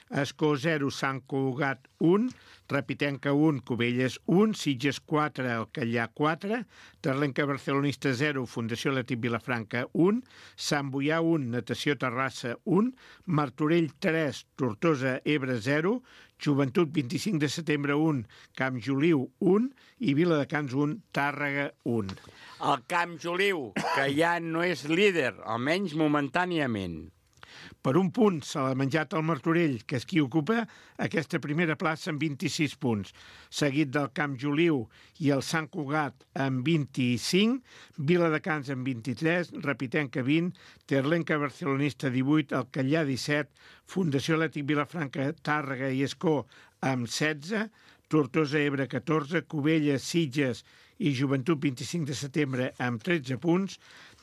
Escó zero, Sant Cugat un, Repitenca un, Cubelles un, Sitges quatre, Alcallà quatre, Terlenca Barcelonista zero, Fundació Atlètic Vilafranca un, Sant Boià un, Natació Terrassa un, Martorell tres, Tortosa Ebre zero, Joventut vint-i-cinc de setembre un, Camp Joliu un i Viladecans un, Tàrrega un. El Camp Joliu, que ja no és líder, almenys momentàniament. Per un punt se l'ha menjat el Martorell, que és qui ocupa aquesta primera plaça amb vint-i-sis punts, seguit del Camp Joliu i el Sant Cugat amb vint-i-cinc, Viladecans amb vint-i-tres, Repitenca vint, Terlenca Barcelonista divuit, Alcallà disset, Fundació Atlètic Vilafranca, Tàrrega i Escó amb setze, Tortosa Ebre catorze, Cubelles, Sitges i Joventut vint-i-cinc de setembre amb tretze punts,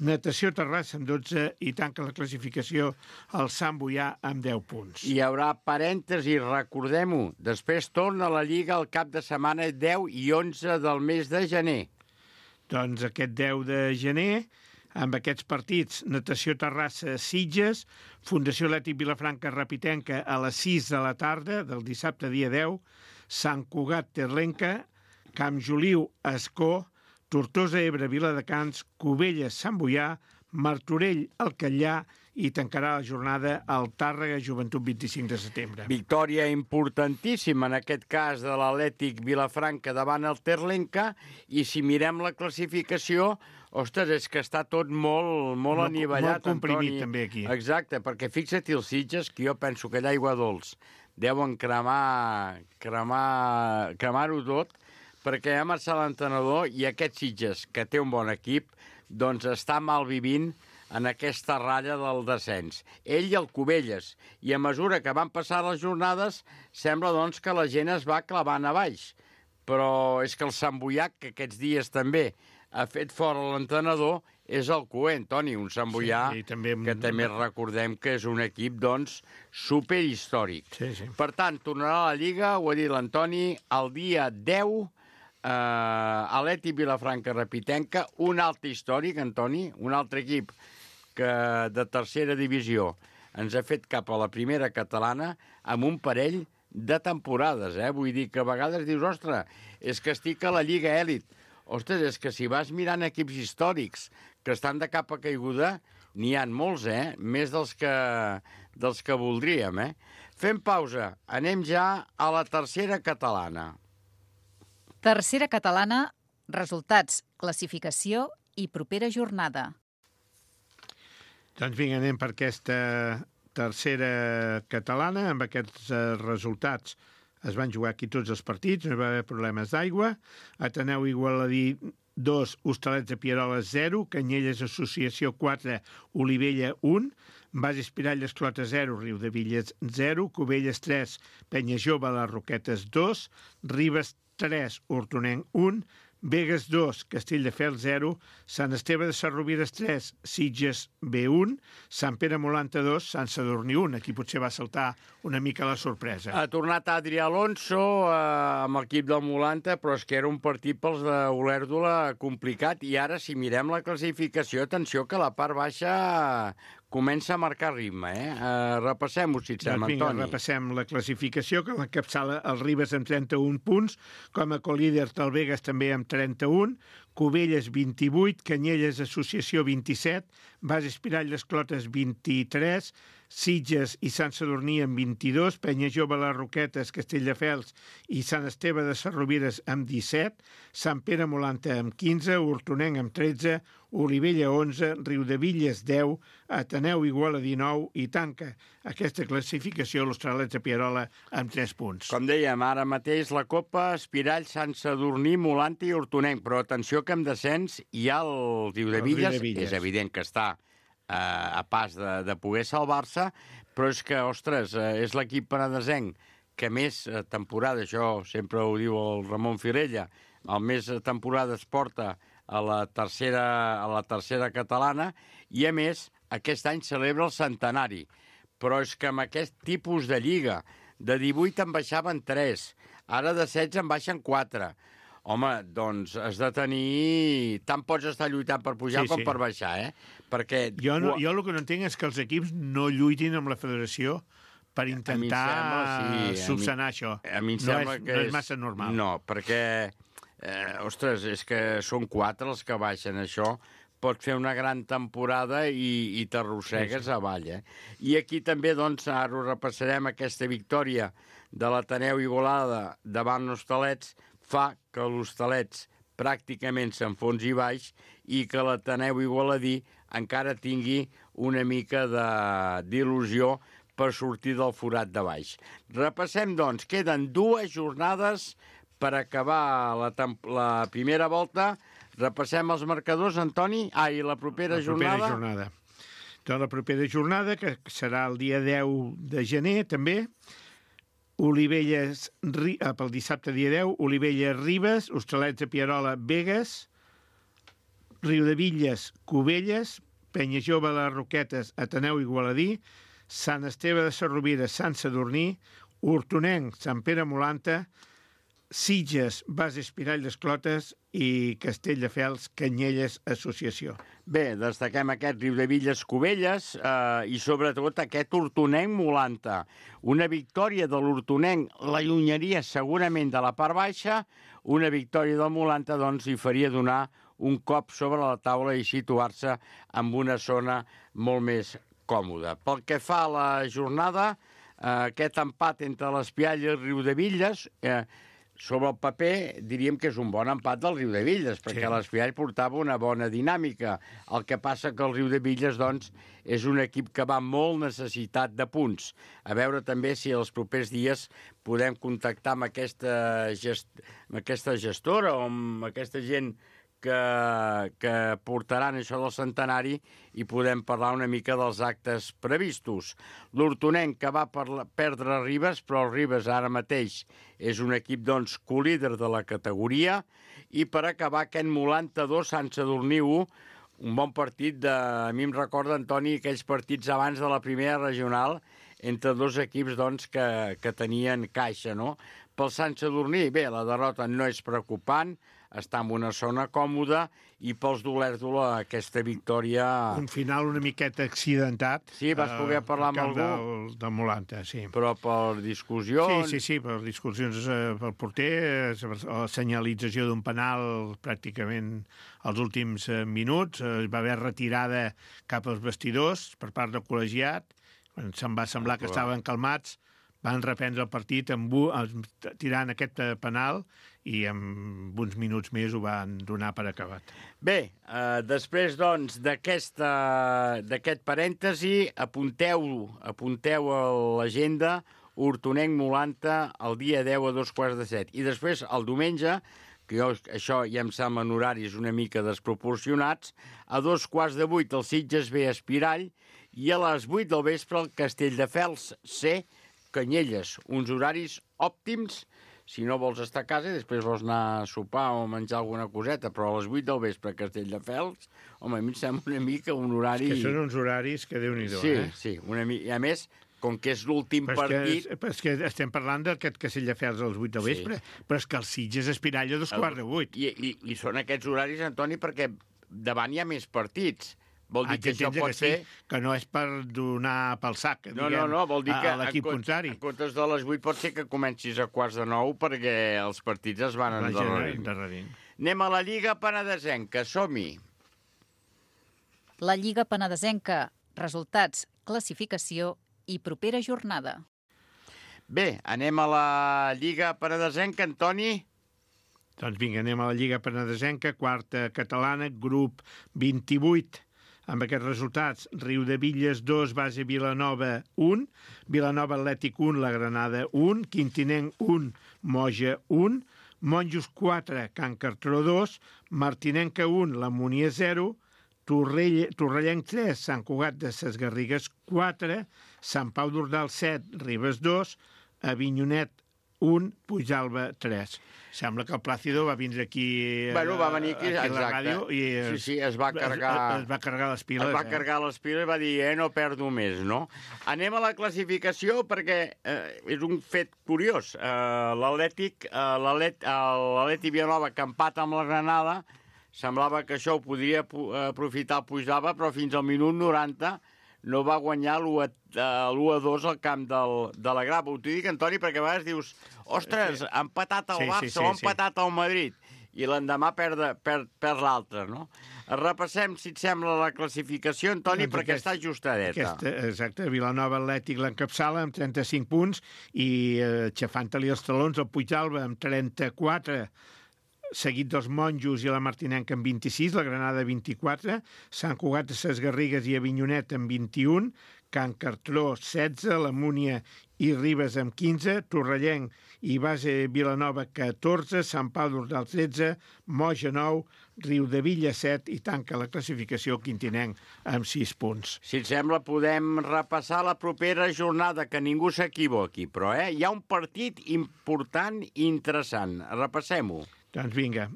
Natació Terrassa amb dotze i tanca la classificació el Sant Boià amb deu punts. Hi haurà parèntesi, recordem-ho. Després torna la Lliga al cap de setmana deu i onze del mes de gener. Doncs aquest deu de gener, amb aquests partits, Natació Terrassa Sitges, Fundació Atlètic Vilafranca Rapitenca a les sis de la tarda del dissabte dia deu, Sant Cugat Terlenca, Camp Joliu Escó, Tortosa Ebre Viladecans, Cubelles Sant Boià, Martorell el Catllà i tancarà la jornada al Tàrrega Joventut vint-i-cinc de setembre. Victòria importantíssima, en aquest cas, de l'Atlètic Vilafranca davant el Terlenca, i si mirem la classificació, ostres, és que està tot molt, molt, molt anivellat. Molt comprimit, Antoni. també, aquí. Exacte, perquè fixa't els Sitges, que jo penso que allà aigua dolç deuen cremar, cremar, cremar-ho tot, perquè ha marxat l'entrenador i aquest Sitges, que té un bon equip, doncs està mal vivint en aquesta ratlla del descens. Ell i el Cubelles. I a mesura que van passar les jornades, sembla doncs que la gent es va clavant a baix. Però és que el Sant Boià, que aquests dies també ha fet fora l'entrenador, és el Coent, Toni, un Sant Boià sí, també... que també recordem que és un equip, doncs, superhistòric. Sí, sí. Per tant, tornarà a la Lliga, ho ha dit l'Antoni, el dia deu, Uh, Atlètic Vilafranca Rapitenca, un altre històric, Antoni, un altre equip que de tercera divisió ens ha fet cap a la primera catalana amb un parell de temporades, eh? Vull dir que a vegades dius, ostres, és que estic a la Lliga Èlit. Ostres, és que si vas mirant equips històrics que estan de capa caiguda, n'hi ha molts, eh? Més dels que, dels que voldríem, eh? Fem pausa, anem ja a la tercera catalana. Tercera catalana, resultats, classificació i propera jornada. Doncs vinga, anem per aquesta tercera catalana. Amb aquests eh, resultats es van jugar aquí tots els partits, no hi va haver problemes d'aigua. Ateneu Igualadí dos, Hostalets de Pieroles zero, Canyelles Associació quatre, Olivella un, Bas Espirall Esclota zero, Riudevilles zero, Cubelles tres, Penya Jove Les Roquetes dos, Ribes tres, Hortonenc un, Begues dos, Castelldefels zero, Sant Esteve de Sarrovires tres, Sitges B un, Sant Pere Molanta dos, Sant Sadurní un. Aquí potser va saltar una mica la sorpresa. Ha tornat Adri Alonso eh, amb l'equip del Molanta, però és que era un partit pels de Olèrdola complicat, i ara, si mirem la classificació, atenció que la part baixa comença a marcar ritme, eh? Uh, repassem-ho, si et sembla, doncs vinga, Antoni. repassem la classificació, que l'encapçala el Ribes amb trenta-un punts, com a colíder el Begues també amb trenta-un, Cubelles vint-i-vuit, Canyelles Associació vint-i-set, Bas Espirall Les Clotes vint-i-tres, Sitges i Sant Sadurní amb vint-i-dos, Penya Jove Les Roquetes, Castelldefels i Sant Esteve de Sarrovires amb disset, Sant Pere Molanta amb quinze, Hortonenc amb tretze, Olivella onze, Riudevilles deu, Ateneu Iguala dinou i tanca aquesta classificació l'Hostalets de Pierola amb tres punts. Com dèiem, ara mateix la Copa, Espirall, Sant Sadurní, Molanta i Hortonenc, però atenció que amb descens hi ha el Riudevilles, és evident que està eh, a pas de, de poder salvar-se, però és que, ostres, eh, és l'equip penedesenc que més eh, temporada, això sempre ho diu el Ramon Firella, el més temporades porta a la tercera, a la tercera catalana, i a més aquest any celebra el centenari. Però és que amb aquest tipus de lliga, de divuit en baixaven tres, ara de setze en baixen quatre. Home, doncs has de tenir... Tant pots estar lluitant per pujar sí, com sí. per baixar, eh? Perquè... Jo, no, jo el que no entenc és que els equips no lluitin amb la federació per intentar sembla, sí, subsanar mi, això. A mi em no sembla és, que no és massa normal. No, perquè... Eh, ostres, és que són quatre els que baixen, això. Pots fer una gran temporada i, i t'arrossegues sí, sí. avall, eh? I aquí també, doncs, ara ho repassarem, aquesta victòria de l'Ateneu Igualada davant l'Hostalets fa que l'Hostalets pràcticament s'enfonsi baix i que l'Ateneu Igualadí encara tingui una mica d'il·lusió per sortir del forat de baix. Repassem, doncs, queden dues jornades per acabar la, la primera volta. Repassem els marcadors, Antoni. Ah, i la propera la propera jornada? jornada. Doncs la propera jornada, que serà el dia deu de gener, també, Olivelles, pel dissabte dia deu, Olivelles, Ribes, Hostalets de Pierola, Begues, Riudevilles, Cubelles, Penyajove, Les Roquetes, Ateneu Igualadí, Sant Esteve de Sarrovira, Sant Sadurní, Hortonenc, Sant Pere Molanta, Sitges, Bas Espirall d'Esclotes i Castelldefels, Canyelles, Associació. Bé, destaquem aquest Riudevilles, Cubelles eh, i sobretot aquest Hortonenc Molanta. Una victòria de l'Hortonenc l'allunyaria segurament de la part baixa, una victòria del Molanta doncs li faria donar un cop sobre la taula i situar-se en una zona molt més còmoda. Pel que fa a la jornada, eh, aquest empat entre l'Espiall i el Riudevilles, eh, sobre el paper diríem que és un bon empat del Riudevilles, perquè sí. l'Espiall portava una bona dinàmica. El que passa que el Riudevilles, doncs, és un equip que va molt necessitat de punts. A veure també si els propers dies podem contactar amb aquesta, gest... amb aquesta gestora o amb aquesta gent que, que portaran això del centenari i podem parlar una mica dels actes previstos. L'Hortonenc que va per perdre Ribes, però el Ribes ara mateix és un equip doncs colíder de la categoria, i per acabar aquest Molanta dos, Sant Sadurní u, un bon partit de... A mi em recorda, Antoni, aquells partits abans de la primera regional entre dos equips doncs, que, que tenien caixa, no? Pel Sant Sadurní, bé, la derrota no és preocupant, està en una zona còmoda, i pels d'Olèrdola aquesta victòria... Un final una miqueta accidentat. Sí, vas poder parlar amb algú. Del, del Molanta, sí. Però per discussions... Sí, sí, sí, per discussions eh, pel porter, la senyalització d'un penal pràcticament als últims eh, minuts, eh, va haver retirada cap als vestidors per part del col·legiat, quan se'm va semblar que estaven calmats, van reprendre el partit amb, tirant aquest penal i en uns minuts més ho van donar per acabat. Bé, eh, després doncs d'aquest parèntesi, apunteu, apunteu a l'agenda Hortonenc Molanta el dia deu a dos quarts de set. I després, el diumenge, que jo, això ja em semblen horaris una mica desproporcionats, a dos quarts de vuit el Sitges B Espirall i a les vuit del vespre el Castelldefels C Canyelles, uns horaris òptims si no vols estar a casa i després vols anar a sopar o menjar alguna coseta, però a les vuit del vespre a Castelldefels, home, a mi em sembla una mica un horari... És que són uns horaris que Déu-n'hi-do, sí, eh? Sí, una mica... I a més, com que és l'últim partit... Que, però és que estem parlant d'aquest Castelldefels a les vuit del vespre, sí. Però és que el Sitges Espirall a dos quarts de vuit. I, i, I són aquests horaris, Antoni, perquè davant hi ha més partits. Vol dir ah, que això pot que ser... Sí, que no és per donar pel sac, no, diguem, no, no, vol dir que a l'equip contrari. En comptes de les vuit pot ser que comencis a quarts de nou perquè els partits es van endarrerint. Anem a la Lliga Penedesenca, som-hi. La Lliga Penedesenca, resultats, classificació i propera jornada. Bé, anem a la Lliga Penedesenca, Antoni. Doncs vinga, anem a la Lliga Penedesenca, quarta catalana, grup vint-i-vuit. Amb aquests resultats, Riudevilles dos, Base Vilanova un, Vilanova Atlètic un, La Granada un, Quintinenc un, Moja un, Monjos quatre, Can Cartró dos, Martinenca un, La Munier zero, Torrell, Torrellenc tres, Sant Cugat de ses Garrigues quatre, Sant Pau d'Ordal set, Ribes dos, Avinyonet un, Puigalba tres. Sembla que el Plàcido va vindre aquí, bueno, va venir aquí, aquí a la ràdio i sí, sí, es va carregar, es, es va carregar les piles. Es va eh? carregar les piles i va dir, eh, no perdo més, no? Anem a la classificació perquè eh, és un fet curiós. Eh, L'Atlètic, eh, l'Atlètic Vilanova, que empata amb la Granada, semblava que això ho podria aprofitar el Puigalba, però fins al minut noranta no va guanyar l'u a dos al camp del, de la Grava. Ho t'ho dic, Antoni, perquè a vegades dius, ostres, ha empatat el sí, Barça sí, sí, o ha empatat el Madrid, i l'endemà perd, perd, perd l'altre, no? Repassem, si et sembla, la classificació, Antoni, doncs perquè aquest, està ajustadeta. Aquesta, exacte, Vilanova Atlètic l'encapçala amb trenta-cinc punts i eh, xafant-li els talons el Puigalba amb trenta-quatre, seguit dels Monjos i la Martinenca amb vint-i-sis, la Granada vint-i-quatre, Sant Cugat de ses Garrigues i Avinyonet amb vint-i-un, Can Cartró setze, la Múnia i Ribes amb quinze, Torrellenc i Base Vilanova catorze, Sant Pau d'Ordal tretze, Moja nou, Riudevilla set i tanca la classificació Quintinenc amb sis punts. Si et sembla, podem repassar la propera jornada, que ningú s'equivoqui, però eh, hi ha un partit important i interessant. Repassem-ho. Doncs vinga,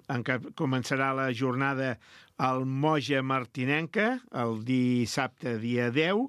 començarà la jornada al Moja Martinenca, el dissabte dia deu.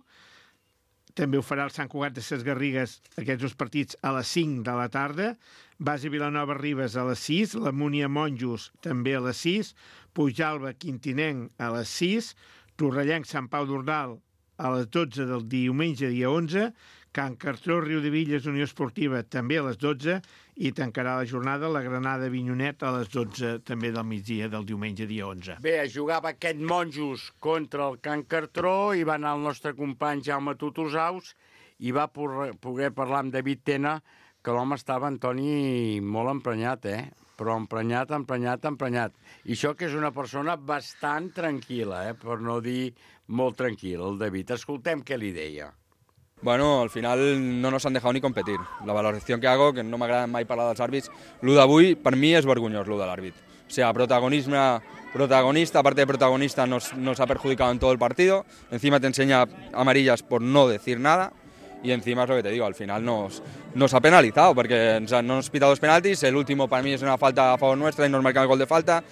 També ho farà el Sant Cugat de Ses Garrigues, aquests dos partits, a les cinc de la tarda. Base Vilanova Ribes a les sis, la Múnia Monjos també a les sis, Pujalba Quintinenc a les sis, Torrellenc Sant Pau d'Ordal a les dotze del diumenge dia onze, Can Cartró Riudevilles Unió Esportiva també a les dotze i tancarà la jornada la Granada Vinyonet a les dotze també del migdia del diumenge dia onze. Bé, jugava aquest Monjos contra el Can Cartró i va anar el nostre company Jaume Tutusaus i va poder parlar amb David Tena, que l'home estava, Antoni, molt emprenyat, eh? Però emprenyat, emprenyat, emprenyat. I això que és una persona bastant tranquil·la, eh? Per no dir molt tranquil, el David. Escoltem què li deia. Bueno, al final no nos han dejado ni competir. La valoración que hago, que no m'agrada mai parlar dels àrbits, lo d'avui per mi és vergonyós, lo de l'àrbit. O sea, protagonismo, protagonista, aparte de protagonista, nos, nos ha perjudicado en todo el partido. Encima te enseña amarillas por no decir nada. Y encima es lo que te digo, al final nos, nos ha penalizado, porque no nos ha pitado dos penaltis, el último para mí es una falta a favor nuestra y nos marcan el gol de falta.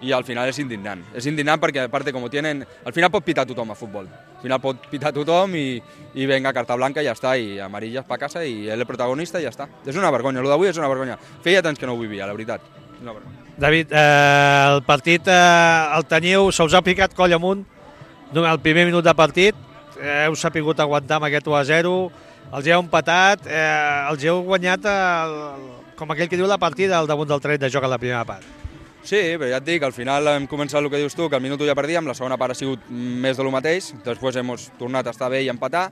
I al final és indignant. És indignant perquè, a part, com tienen... Al final pot pitar tothom a futbol. Al final pot pitar tothom i, i venga, carta blanca i ja està, i amarillas pa casa i ell el protagonista i ja està. És una vergonya, el d'avui és una vergonya. Feia temps que no ho vivia, la veritat. Una vergonya. David, eh, el partit eh, el teniu, se us ha picat coll amunt el primer minut de partit, eh, heu sapigut aguantar amb aquest u a zero, els heu empatat, eh, els heu guanyat, el, com aquell que diu la partida, al damunt del tren de joc a la primera part. Sí, però ja et dic, al final hem començat el que dius tu, que al minut ja perdíem, la segona part ha sigut més de lo mateix, després hem tornat a estar bé i empatar,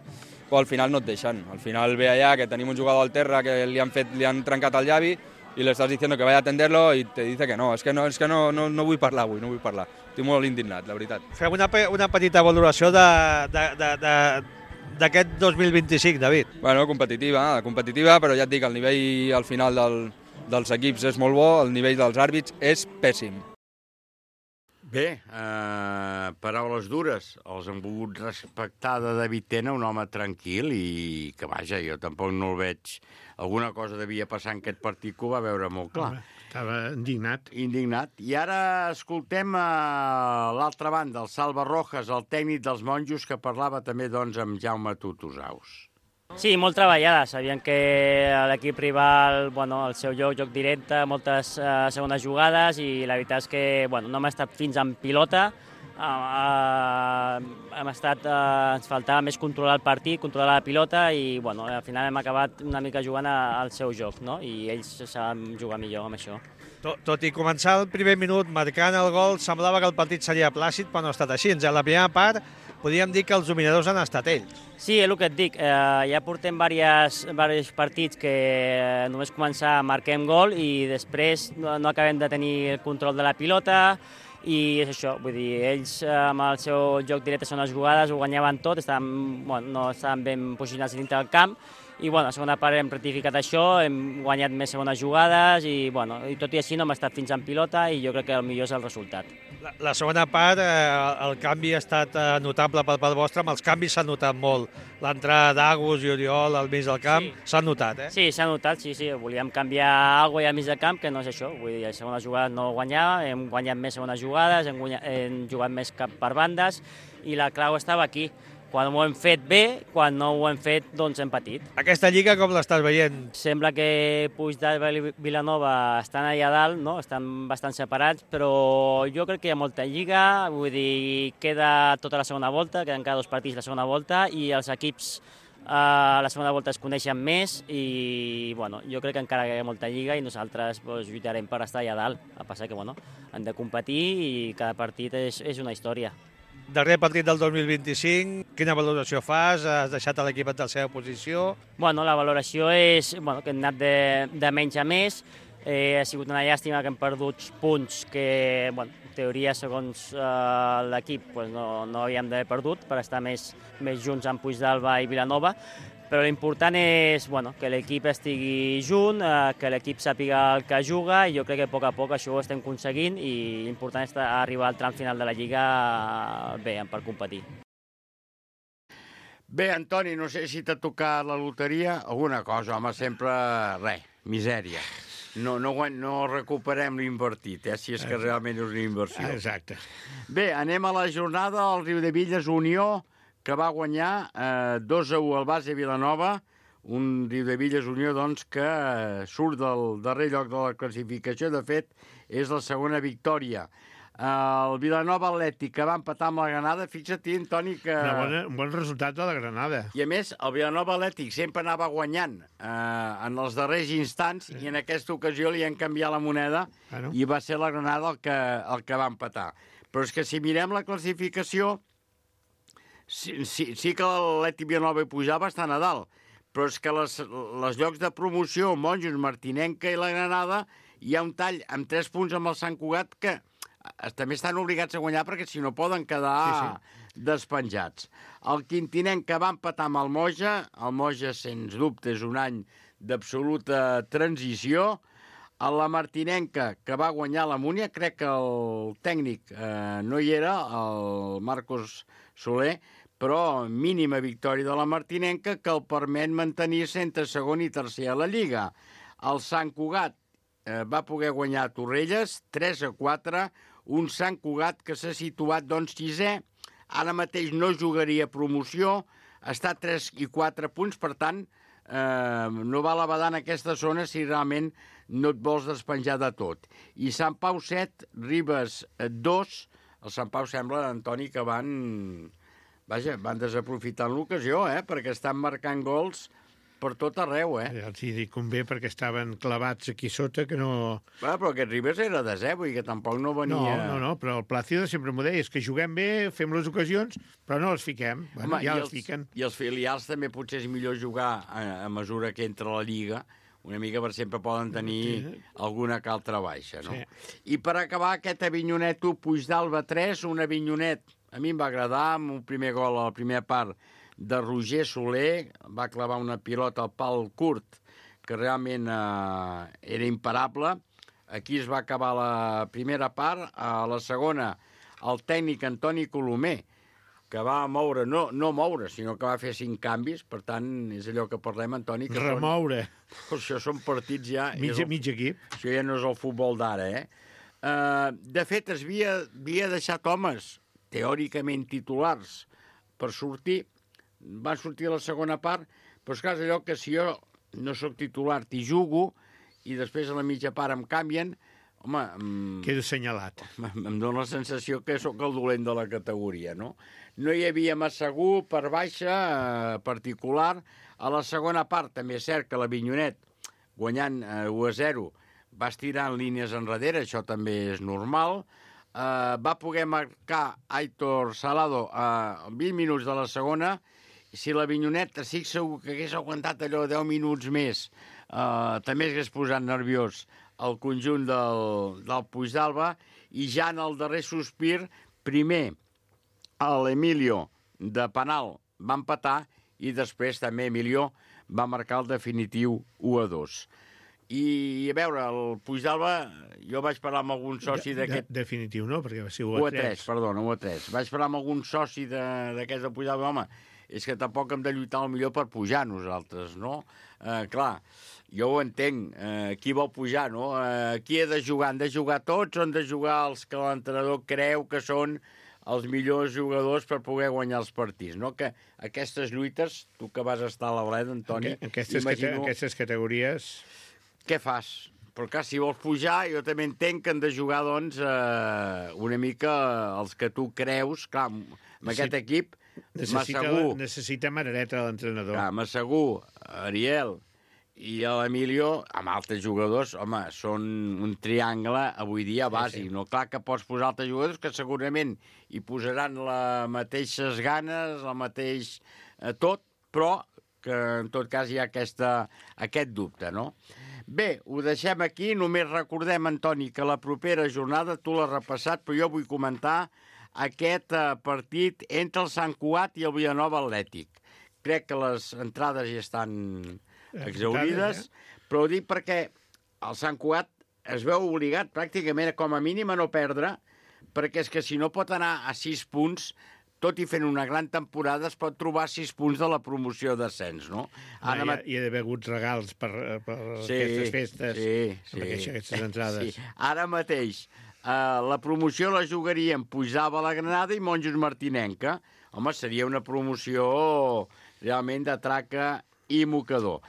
però al final no et deixen. Al final ve allà que tenim un jugador al terra que li han, fet, li han trencat el llavi i le estàs diciendo que vaya a atenderlo i te dice que no, és que no, és que no, no, no vull parlar avui, no vull parlar. Estic molt indignat, la veritat. Fem una, una petita valoració de, de, de, de, d'aquest dos mil vint-i-cinc, David. Bueno, competitiva, competitiva, però ja et dic, el nivell al final del, dels equips és molt bo, el nivell dels àrbits és pèssim. Bé, eh, paraules dures. Els hem volgut respectar de David Tena, un home tranquil i que, vaja, jo tampoc no el veig. Alguna cosa devia passar en aquest partit que ho va veure molt clar. Estava indignat. Indignat. I ara escoltem a l'altra banda, el Salva Rojas, el tècnic dels Monjos, que parlava també doncs, amb Jaume Tutusaus. Sí, molt treballada. Sabien que l'equip rival, bueno, el seu joc, joc directe, moltes uh, segones jugades i la veritat és que bueno, no hem estat fins en pilota. Uh, uh, hem estat, uh, ens faltava més controlar el partit, controlar la pilota i bueno, al final hem acabat una mica jugant al seu joc, no? I ells saben jugar millor amb això. Tot, tot i començar el primer minut marcant el gol, semblava que el partit seria plàcid, però no ha estat així. En la primera part podríem dir que els dominadors han estat ells. Sí, és el que et dic. Eh, ja portem diversos partits que només començar marquem gol i després no, no acabem de tenir el control de la pilota i és això, vull dir, ells amb el seu joc directe són les jugades, ho guanyaven tot, estaven, bueno, no estaven ben posicionats dintre del camp i bueno, a la segona part hem rectificat això, hem guanyat més segones jugades i, bueno, i tot i així no hem estat fins en pilota i jo crec que el millor és el resultat. La, la segona part, eh, el canvi ha estat eh, notable per part vostra, amb els canvis s'ha notat molt. L'entrada d'Agus i Oriol al mig del camp s'ha sí. notat, eh? Sí, s'ha notat, sí, sí. Volíem canviar alguna cosa al mig del camp, que no és això. Vull dir, a segona jugada no guanyava, hem guanyat més segones jugades, hem, guanyat, hem jugat més cap per bandes i la clau estava aquí. Quan ho hem fet bé, quan no ho hem fet, doncs hem patit. Aquesta lliga com l'estàs veient? Sembla que Puigdàlber i Vilanova estan allà dalt, no? Estan bastant separats, però jo crec que hi ha molta lliga, vull dir, queda tota la segona volta, queden cada dos partits la segona volta, i els equips a la segona volta es coneixen més i bueno, jo crec que encara hi ha molta lliga i nosaltres pues, lluitarem per estar allà dalt. El que passa que bueno, hem de competir i cada partit és, és una història. Darrer partit del dos mil vint-i-cinc, quina valoració fas? Has deixat l'equip en la seva posició? Bueno, la valoració és bueno, que hem anat de, de menys a més. Eh, ha sigut una llàstima que hem perdut punts que, bueno, en teoria, segons eh, l'equip, pues no, no havíem d'haver perdut per estar més, més junts amb Puigdàlber i Vilanova, però l'important és, bueno, que l'equip estigui junt, eh, que l'equip sàpiga el que juga, i jo crec que a poc a poc això ho estem aconseguint, i l'important és arribar al tram final de la Lliga eh, bé, per competir. Bé, Antoni, no sé si t'ha tocat la loteria, alguna cosa, home, sempre, res, misèria. No, no, no recuperem l'invertit, eh, si és que realment és una inversió. Exacte. Bé, anem a la jornada al Riudebitlles Unió, que va guanyar eh, dos a u al base Vilanova, un Riudebitlles Unió doncs, que eh, surt del darrer lloc de la classificació, de fet, és la segona victòria. El Vilanova Atlètic, que va empatar amb la Granada, fixa't, Antoni, que... Una bona, un bon resultat de la Granada. I a més, el Vilanova Atlètic sempre anava guanyant eh, en els darrers instants, sí. I en aquesta ocasió li han canviat la moneda, bueno. I va ser la Granada el que, el que va empatar. Però és que si mirem la classificació, sí, sí, sí que l'Atlètic Vilanova i Pujava estan a dalt, però és que les, les llocs de promoció, Monjos, Martinenca i la Granada, hi ha un tall amb tres punts amb el Sant Cugat que també estan obligats a guanyar perquè si no poden quedar sí, sí. despenjats. El Quintinenc, que va empatar amb el Moja, el Moja, sens dubte, és un any d'absoluta transició. A la Martinenca, que va guanyar la Múnia, crec que el tècnic eh, no hi era, el Marcos Soler, però mínima victòria de la Martinenca que el permet mantenir-se entre segon i tercer a la Lliga. El Sant Cugat eh, va poder guanyar a Torrelles, tres a quatre, un Sant Cugat que s'ha situat, doncs, sisè, ara mateix no jugaria promoció, està a tres i quatre punts, per tant, eh, no val a badar en aquesta zona si realment no et vols despenjar de tot. I Sant Pau set, Ribes dos, el Sant Pau sembla, Antoni, que van, vaja, van desaprofitant l'ocasió, eh, perquè estan marcant gols per tot arreu, eh? Els hi dic convé perquè estaven clavats aquí sota, que no... Bueno, però aquest Ribes era de zero i que tampoc no venia... No, no, no, però el Plácido sempre m'ho deia, és que juguem bé, fem les ocasions, però no les fiquem. Bueno, Home, ja les els fiquen. I els filials també potser és millor jugar a, a mesura que entra la Lliga, una mica per sempre poden tenir sí. alguna que altra baixa, no? Sí. I per acabar, aquest Avinyonet u, Puigdàlber tres, un Avinyonet, a mi em va agradar, amb un primer gol a la primera part, de Roger Soler, va clavar una pilota al pal curt, que realment eh, era imparable. Aquí es va acabar la primera part. A la segona, el tècnic Antoni Colomer, que va moure, no, no moure, sinó que va fer cinc canvis, per tant, és allò que parlem, Antoni... Que Remoure. Són, això són partits ja... Mig, el, mig equip. Això ja no és el futbol d'ara, eh? Uh, de fet, es havia, havia deixat homes, teòricament titulars, per sortir. Van sortir a la segona part, però és clar, és allò que si jo no sóc titular, t'hi jugo, i després a la mitja part em canvien, home... Em, Quedo assenyalat. Em, em dóna la sensació que sóc el dolent de la categoria, no? No hi havia Massagú per baixa, eh, particular. A la segona part, també és cert que l'Avinyonet, guanyant eh, u a zero, va estirar en línies enrere, això també és normal. Eh, va poder marcar Aitor Salado a eh, vint minuts de la segona. Si l'Avinyonet, estic segur que hagués aguantat allò deu minuts més, eh, també hagués posat nerviós el conjunt del, del Puigdàlber, i ja en el darrer sospir, primer l'Emilio de penal va empatar i després també Emilio va marcar el definitiu u a dos. I a veure, el Puigdàlber, jo vaig parlar amb algun soci d'aquest... De, de, definitiu no, perquè va ser u a tres. u a tres, perdona, u a tres. Vaig parlar amb algun soci d'aquest del Puigdàlber, home, és que tampoc hem de lluitar el millor per pujar nosaltres, no? Eh, clar, jo ho entenc, eh, qui vol pujar, no? Eh, qui ha de jugar? Han de jugar tots o han de jugar els que l'entrenador creu que són els millors jugadors per poder guanyar els partits, no? Que aquestes lluites, tu que vas estar a la Bleda, Antoni... Aquestes, imagino... aquestes categories... Què fas? Però clar, si vols pujar, jo també entenc que han de jugar, doncs, eh, una mica els que tu creus. Clar, amb sí. aquest equip, necessita, Massagú... Necessita marereta l'entrenador. Clar, Massagú, Ariel i l'Emilio, amb altres jugadors, home, són un triangle avui dia bàsic. Sí, sí. No? Clar que pots posar altres jugadors que segurament hi posaran les mateixes ganes, el mateix eh, tot, però que en tot cas hi ha aquesta, aquest dubte, no? Bé, ho deixem aquí. Només recordem, Antoni, que la propera jornada, tu l'has repassat, però jo vull comentar aquest eh, partit entre el Sant Cugat i el Vilanova Atlètic. Crec que les entrades ja estan exhaurides, eh? Però ho dic perquè el Sant Cugat es veu obligat pràcticament com a mínim a no perdre, perquè és que si no pot anar a sis punts, tot i fent una gran temporada, es pot trobar sis punts de la promoció d'ascens, no? Ara hi, ha, hi ha d'haver hagut regals per, per sí, aquestes festes, sí, per sí, aquestes entrades. Sí. Ara mateix, uh, la promoció la jugarien Puigdàlber, la Granada i Monjos Martinenca. Home, seria una promoció realment de traca i mocador.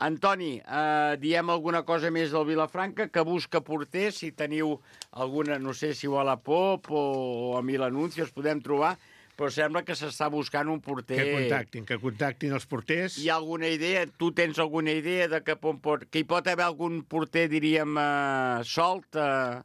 Antoni, eh, diem alguna cosa més del Vilafranca, que busca porter, si teniu alguna, no sé si o a la Pop o, o a Mil Anuncios podem trobar, però sembla que s'està buscant un porter... Que contactin, que contactin els porters. Hi ha alguna idea, tu tens alguna idea de que, pot, que hi pot haver algun porter, diríem, eh, solt eh,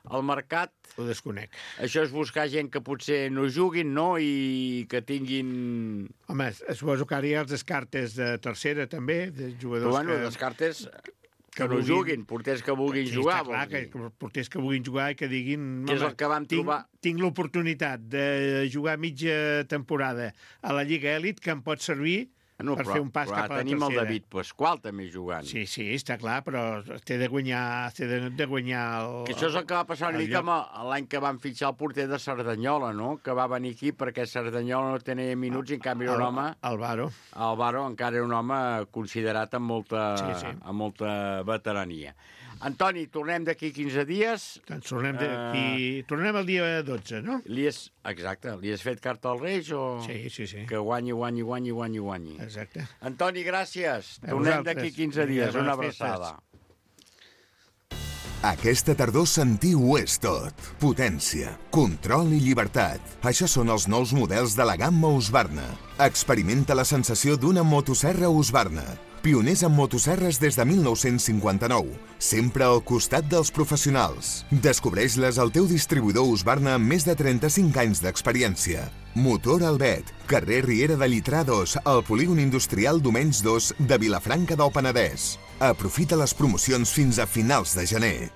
al mercat? Ho desconec. Això és buscar gent que potser no juguin, no?, i que tinguin... Home, suposo que ara hi ha els descartes de tercera, també, de jugadors però, bueno, que... descartes que, que no vulguin... juguin, porters que vulguin sí, jugar. Sí, clar, que porters que vulguin jugar i que diguin... Que és el que vam tinc, trobar... Tinc l'oportunitat de jugar mitja temporada a la Lliga Elit, que em pot servir... No, per però, fer un pas cap a la tercera. Tenim el David Pasqual també jugant. Sí, sí, està clar, però té de guanyar, té de, de guanyar el... Que això és el que va passar una mica l'any que van fitxar el porter de Cerdanyola, no?, que va venir aquí perquè Cerdanyola no tenia minuts i en canvi era un home... Álvaro. Álvaro encara era un home considerat amb molta, sí, sí. amb molta veterania. Antoni, tornem d'aquí quinze dies. Doncs tornem d'aquí... Uh, tornem el dia dotze, no? Li has... Exacte. Li has fet carta als Reis o... Sí, sí, sí. Que guanyi, guanyi, guanyi, guanyi, guanyi. Exacte. Antoni, gràcies. A tornem d'aquí quinze dies. Una abraçada. Aquesta tardor sentir ho és tot. Potència, control i llibertat. Això són els nous models de la gamma Husqvarna. Experimenta la sensació d'una motosserra Husqvarna. Pioners en motosserres des de mil nou-cents cinquanta-nou. Sempre al costat dels professionals. Descobreix-les al teu distribuïdor Husqvarna amb més de trenta-cinc anys d'experiència. Motor Albet, carrer Riera de Llitrà dos, al polígon industrial Domenys dos de Vilafranca del Penedès. Aprofita les promocions fins a finals de gener.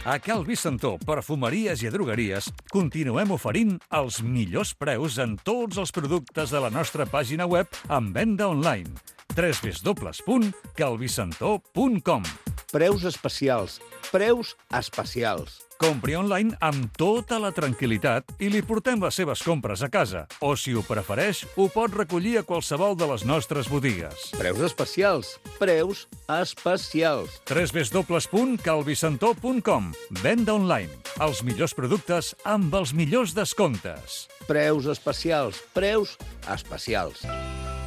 A Cal Vicentó, perfumeries i drogueries, continuem oferint els millors preus en tots els productes de la nostra pàgina web en venda online. w w w punt calvicentó punt com. Preus especials. Preus especials. Compri online amb tota la tranquil·litat i li portem les seves compres a casa. O, si ho prefereix, ho pot recollir a qualsevol de les nostres botigues. Preus especials. Preus especials. w w w punt calvicentó punt com. Venda online. Els millors productes amb els millors descomptes. Preus especials. Preus especials.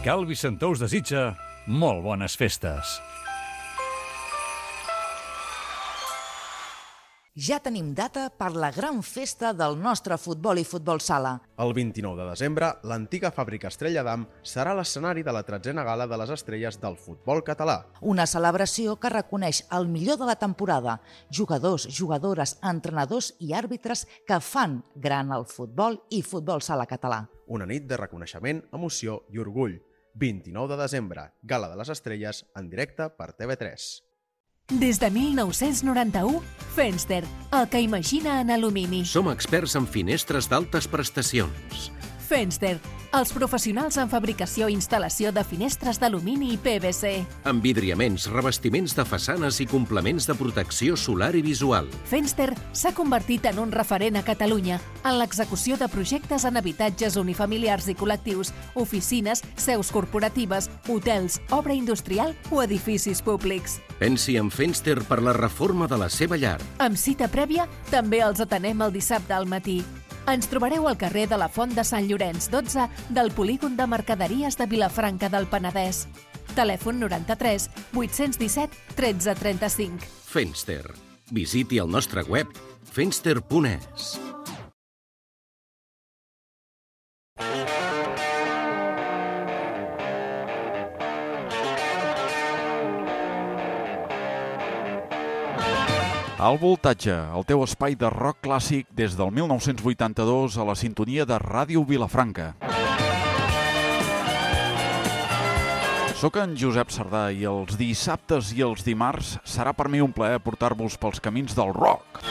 Cal Vicentó us desitja molt bones festes. Ja tenim data per la gran festa del nostre futbol i futbol sala. El vint-i-nou de desembre, l'antiga fàbrica Estrella d'Am serà l'escenari de la tretzena gala de les estrelles del futbol català. Una celebració que reconeix el millor de la temporada, jugadors, jugadores, entrenadors i àrbitres que fan gran el futbol i futbol sala català. Una nit de reconeixement, emoció i orgull. vint-i-nou de desembre, Gala de les Estrelles, en directe per T V tres. Des de mil nou-cents noranta-u, Fenster, el que imagina en alumini. Som experts en finestres d'altes prestacions. Fenster, els professionals en fabricació i instal·lació de finestres d'alumini i P V C. Envidriaments, revestiments de façanes i complements de protecció solar i visual. Fenster s'ha convertit en un referent a Catalunya en l'execució de projectes en habitatges unifamiliars i col·lectius, oficines, seus corporatives, hotels, obra industrial o edificis públics. Pensi en Fenster per la reforma de la seva llar. Amb cita prèvia, també els atenem el dissabte al matí. Ens trobareu al carrer de la Font de Sant Llorenç dotze del polígon de mercaderies de Vilafranca del Penedès. Telèfon noranta-tres vuit-cents disset tretze trenta-cinc. Fenster. Visiti el nostre web fenster punt es. El Voltatge, el teu espai de rock clàssic des del mil nou-cents vuitanta-dos a la sintonia de Ràdio Vilafranca. Soc en Josep Sardà i els dissabtes i els dimarts serà per mi un plaer portar-vos pels camins del rock.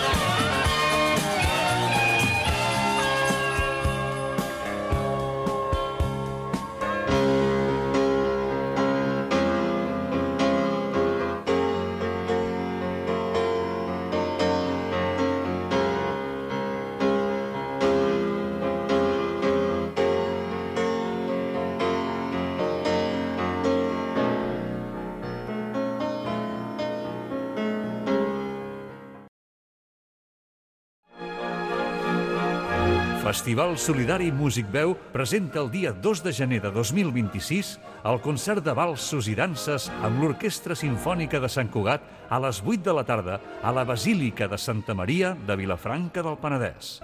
Festival Solidari Músic Veu presenta el dia dos de gener de dos mil vint-i-sis el concert de valsos i danses amb l'Orquestra Simfònica de Sant Cugat a les vuit de la tarda a la Basílica de Santa Maria de Vilafranca del Penedès.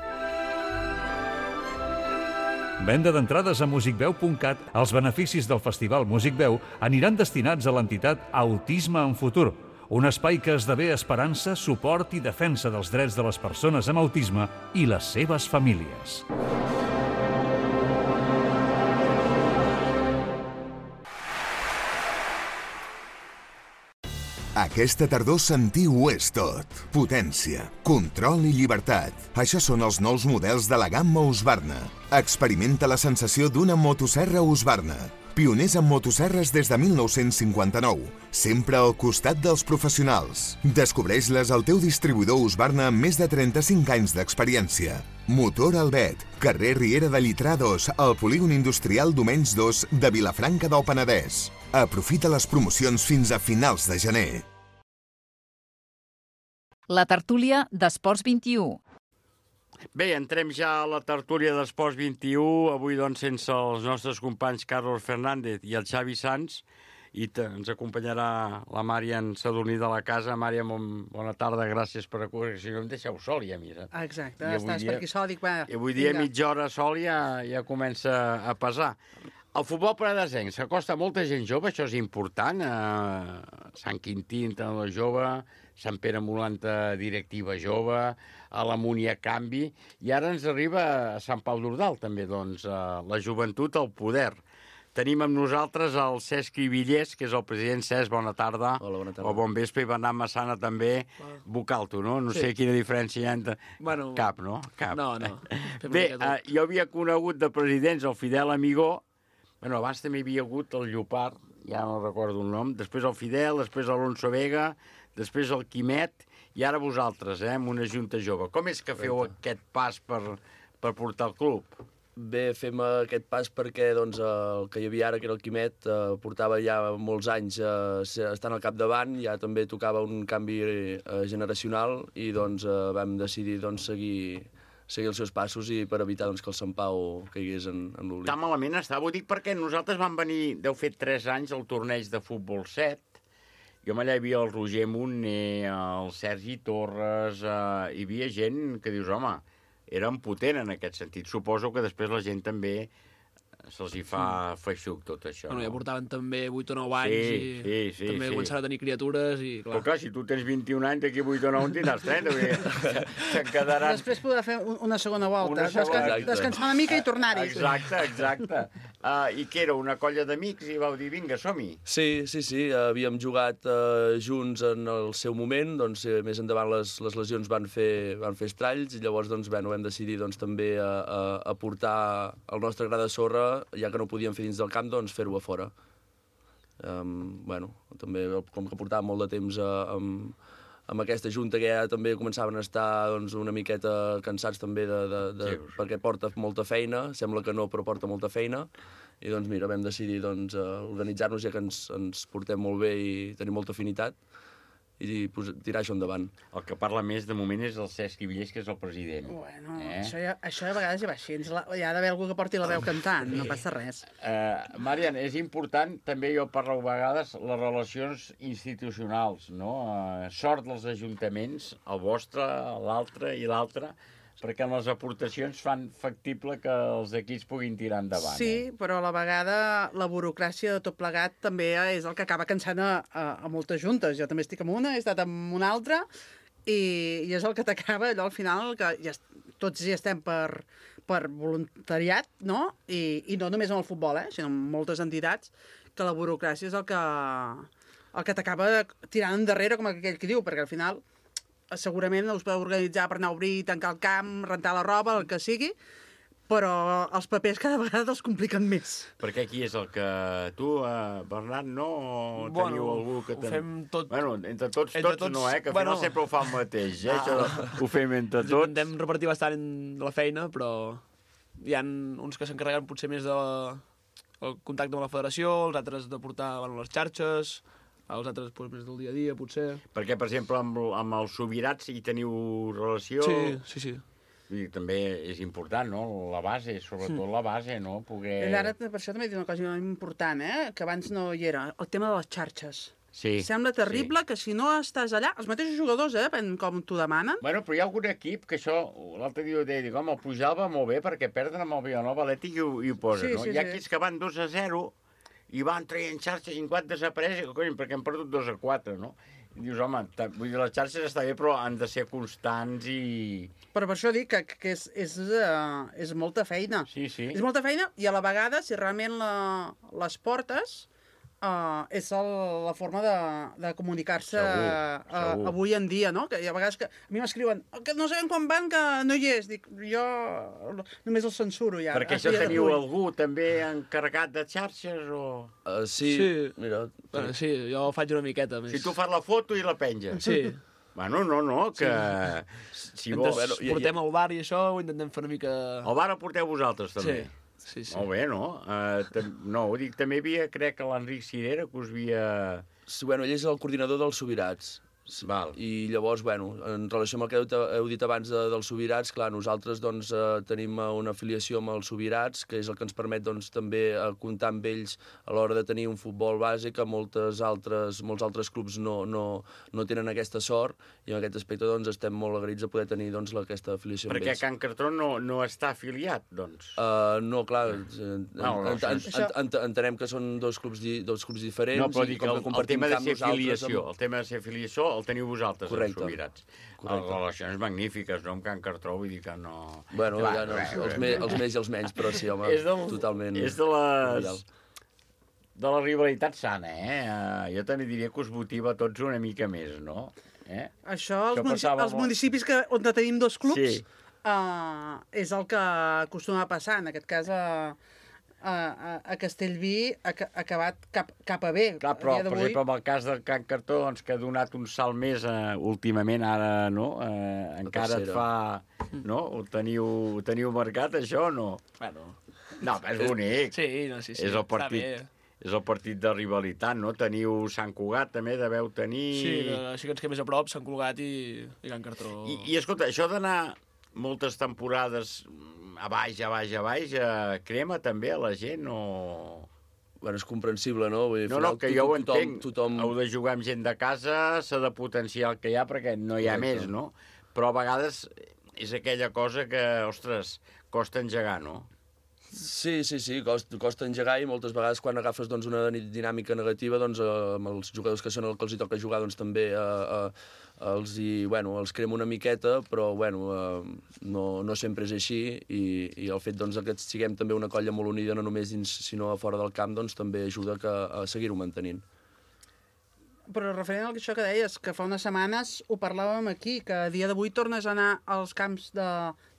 Venda d'entrades a musicveu punt cat. Els beneficis del Festival Músic Veu aniran destinats a l'entitat Autisme en Futur, un espai que esdevé esperança, suport i defensa dels drets de les persones amb autisme i les seves famílies. Aquesta tardor sentiu-ho és tot. Potència, control i llibertat. Això són els nous models de la gamma Husqvarna. Experimenta la sensació d'una motosserra Husqvarna. Pioners en motosserres des de mil nou-cents cinquanta-nou, sempre al costat dels professionals. Descobreix-les al teu distribuïdor Husqvarna amb més de trenta-cinc anys d'experiència. Motor Albet, carrer Riera de Llitrà dos, al polígon industrial Domenys dos de Vilafranca del Penedès. Aprofita les promocions fins a finals de gener. La tertúlia d'Esports vint-i-u. Bé, entrem ja a la tertúlia d'Esports vint-i-u, avui doncs sense els nostres companys Carlos Fernández i el Xavi Sanz, i ens acompanyarà la Màriam Sadurní de la casa. Màriam, bona tarda, gràcies per acudir. Si no em deixeu sol ja, mira. Exacte, estàs per aquí sol, dic, va, i avui dia mitja hora sol ja, ja comença a pesar. El futbol penedesenc s'acosta a molta gent jove, això és important. Eh, Sant Quintí, entrenador jove, Sant Pere Molanta, directiva jove, a la Múnia canvi, i ara ens arriba a Sant Pau d'Ordal, també, doncs, la joventut al poder. Tenim amb nosaltres el Cesc Villés, que és el president. Cesc, bona tarda. Hola, bona tarda. O bon vespre, i Bernat Massana també, vocal tu, no? No sí. sé quina diferència hi ha entre... Bueno, cap, no? Cap. No, no. Bé, eh, jo havia conegut de presidents el Fidel Amigó, bueno, abans també hi havia hagut el Llopart, ja no recordo el nom, després el Fidel, després l'Alonso Vega, després el Quimet, i ara vosaltres, eh, amb una junta jove. Com és que feu aquest pas per, per portar el club? Bé, fem aquest pas perquè doncs, el que hi havia ara, que era el Quimet, eh, portava ja molts anys eh, estant al capdavant, ja també tocava un canvi eh, generacional, i doncs, eh, vam decidir doncs, seguir, seguir els seus passos i per evitar doncs, que el Sant Pau caigués en, en l'oblit. Tan malament està, ho dic perquè nosaltres vam venir, deu fer tres anys, al torneig de futbol set. Jo allà hi havia el Roger Montner, el Sergi Torres, eh, hi havia gent que dius, home, eren potent en aquest sentit. Suposo que després la gent també se'ls hi fa feixuc tot això. Bueno, no? ja portaven també vuit o nou anys sí, i sí, sí, també sí. començaven a tenir criatures i clar. Però clar, si tu tens vint-i-un anys, d'aquí vuit o nou en tindràs trenta, se'n quedaran... Després podrà fer una segona volta, una segona... Descan descansar una mica i tornar-hi. Exacte, exacte. Uh, I què era, una colla d'amics i vau dir, vinga, som-hi? Sí, sí, sí, havíem jugat uh, junts en el seu moment, doncs eh, més endavant les, les lesions van fer, van fer estralls, i llavors doncs, bueno, vam decidir doncs, també a, a, a portar el nostre gra de sorra, ja que no podíem fer dins del camp, doncs fer-ho a fora. Um, bueno, també com que portàvem molt de temps uh, amb, amb aquesta junta, que ja també començaven a estar doncs, una miqueta cansats també de, de, de, sí, perquè porta molta feina, sembla que no, però porta molta feina, i doncs mira, vam decidir doncs, organitzar-nos, ja que ens, ens portem molt bé i tenim molta afinitat, i tirar això endavant. El que parla més de moment és el Cesc Villés, que és el president. Bueno, eh? això, ja, això a vegades ja va així. Hi ha d'haver algú que porti la veu cantant, no passa res. Uh, Marian, és important, també jo parlo a vegades, les relacions institucionals, no? Uh, sort dels ajuntaments, el vostre, l'altre i l'altre, perquè en les aportacions fan factible que els equips puguin tirar endavant. Sí, eh? Però a la vegada la burocràcia de tot plegat també és el que acaba cansant a, a, a moltes juntes. Jo també estic amb una, he estat amb una altra, i, i és el que t'acaba allò al final, que ja, tots hi estem per, per voluntariat, no? I, i no només en el futbol, eh? Sinó en moltes entitats, que la burocràcia és el que, el que t'acaba tirant endarrere, com aquell que diu, perquè al final segurament us podeu organitzar per anar a obrir, tancar el camp, rentar la roba, el que sigui, però els papers cada vegada els compliquen més. Perquè aquí és el que tu, eh, Bernat, no? O Bueno, teniu algú que... ho ten... fem tot... Bueno, entre tots, Entre tots, tots, no, eh? Que al bueno. final sempre ho fa el mateix, eh? Ah. Això ho fem entre tots. Intentem repartir bastant la feina, però hi ha uns que s'encarreguen potser més de el contacte amb la federació, els altres de portar bueno, les xarxes, els altres pues, més del dia a dia, potser. Perquè, per exemple, amb, amb els Subirats hi teniu relació... Sí, sí, sí. I també és important, no? La base, sobretot Mm. la base, no? Poder... I ara, per això també he dit una cosa important, eh? Que abans no hi era, el tema de les xarxes. Sí. Sembla terrible sí. que si no estàs allà, els mateixos jugadors, eh, depèn com t'ho demanen. Bueno, però hi ha algun equip que això, l'altre dia ho deia, dic, home, el Pujal va molt bé perquè perden amb el Vilanova Atlètic i ho, i ho posen, Sí, no? sí, Hi ha sí. equips que van dos a zero i van traient xarxes i en quant desapareix, cony, perquè han perdut dos a quatre, no? I dius, home, vull dir, les xarxes està bé, però han de ser constants i... Però per això dic que, que és, és, uh, és molta feina. Sí, sí. És molta feina i a la vegada, si realment la, les portes, uh, és el, la forma de, de comunicar-se Segur, uh, segur. avui en dia, no? Que hi ha vegades que a mi m'escriuen que no sabem quan van, que no hi és. Dic, jo només el censuro ja. Perquè a això dia teniu d'avui. algú també encarregat de xarxes o... Uh, sí, Sí. mira... Bueno, sí, jo faig una miqueta més. Si tu fas la foto i la penges. Sí. Bueno, no, no, que... Si Mentre vols... bueno, portem al bar i això, ho intentem fer una mica... El bar el porteu vosaltres, també? Sí, sí, sí. Molt bé, no? Uh, tam... No, ho dic, també hi havia, crec que l'Enric Cirera, que us havia... Sí, bueno, ell és el coordinador dels Subirats. Val. I llavors, bueno, en relació amb el que heu, heu dit abans de, dels Subirats, clar, nosaltres doncs, eh, tenim una afiliació amb els Subirats, que és el que ens permet doncs, també eh, comptar amb ells a l'hora de tenir un futbol bàsic, que moltes altres, molts altres clubs no, no, no tenen aquesta sort, i en aquest aspecte doncs, estem molt agraïts de poder tenir doncs, la, aquesta afiliació amb Perquè ells. Can Cartró no, no està afiliat, doncs. Uh, no, clar, eh, No, no, ent, ent, això- ent, ent, entenem que són dos clubs, di, dos clubs diferents No, però i dic, com el, que el compartim tema de camp ser nosaltres afiliació, amb- el tema de ser afiliació el teniu vosaltres, Correcte. els Subirats. Correcte. Les relacions magnífiques, no, amb Can Cartró, vull dir que no... Bueno, Clar, ja no, res, els, res. me, els més i els menys, però sí, home, És del- totalment... És de les... cordial. De la rivalitat sana, eh? Uh, jo també diria que us motiva a tots una mica més, no? Eh? Això, els, Això munici passava els molt. municipis que, on tenim dos clubs, Sí. uh, és el que acostuma a passar. En aquest cas, a, a, a Castellví ha ca- ha acabat cap, cap a bé. Clar, A però, dia per d'avui- exemple, amb el cas del Can Cartró, doncs, que ha donat un salt més eh, últimament, ara, no? Eh, encara et tercera. fa... No? Ho teniu, ho teniu marcat, això, o no? Bueno. No, però és bonic. Sí, no, sí, sí. És el està partit, bé. és el partit de rivalitat, no? Teniu Sant Cugat, també deveu tenir... Sí, que, així que ens quedem més a prop, Sant Cugat i, i Can Cartró. I, I, escolta, això d'anar moltes temporades a baix, a baix, a baix, eh, crema també a la gent o... Bueno, és comprensible, no? Vull dir, No, al no, final que to- jo ho tothom- entenc. tothom- Heu de jugar amb gent de casa, s'ha de potenciar el que hi ha perquè no hi ha Correcte. més, no? Però a vegades és aquella cosa que, ostres, costa engegar, no? Sí, sí, sí, costa, costa engegar i moltes vegades quan agafes doncs, una di- dinàmica negativa doncs, eh, amb els jugadors que són el que els hi toca jugar doncs, també eh, eh, els, hi, bueno, els crema una miqueta, però bueno, eh, no, no sempre és així i, i el fet doncs, que siguem també una colla molt unida, no només dins sinó a fora del camp, doncs, també ajuda que, a seguir-ho mantenint. Però referent a això que deies, que fa unes setmanes ho parlàvem aquí, que a dia d'avui tornes a anar als camps de,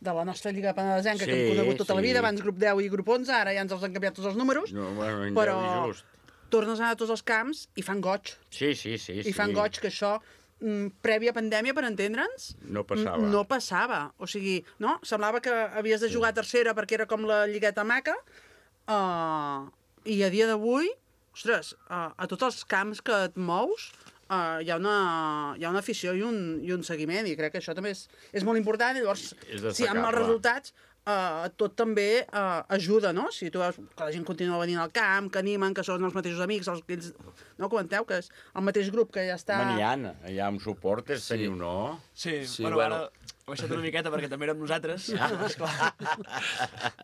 de la nostra Lliga Penedesenca, Sí, que hem conegut tota la sí. vida, abans grup deu i grup onze, ara ja ens els han canviat tots els números, No, bueno, en però deu i just. tornes a anar a tots els camps i fan goig. Sí, sí, sí. I fan goig que això, mm, prèvia pandèmia, per entendre'ns, No passava. n- no passava. O sigui, no? Semblava que havies de jugar a tercera perquè era com la lligueta maca, uh, i a dia d'avui, ostres, uh, a tots els camps que et mous, uh, hi, ha una, hi ha una afició i un, i un seguiment, i crec que això també és, és molt important, i llavors, És si hi ha destacable. mals resultats, uh, tot també uh, ajuda, no? Si tu veus que la gent continua venint al camp, que animen, que són els mateixos amics, els que ells... No comenteu que és el mateix grup que ja està... Home, n'hi ha, hi ha un suport, és Sí. teniu, no? Sí, Sí, bueno, bueno. ara he baixat una miqueta perquè també érem nosaltres, Ah. esclar.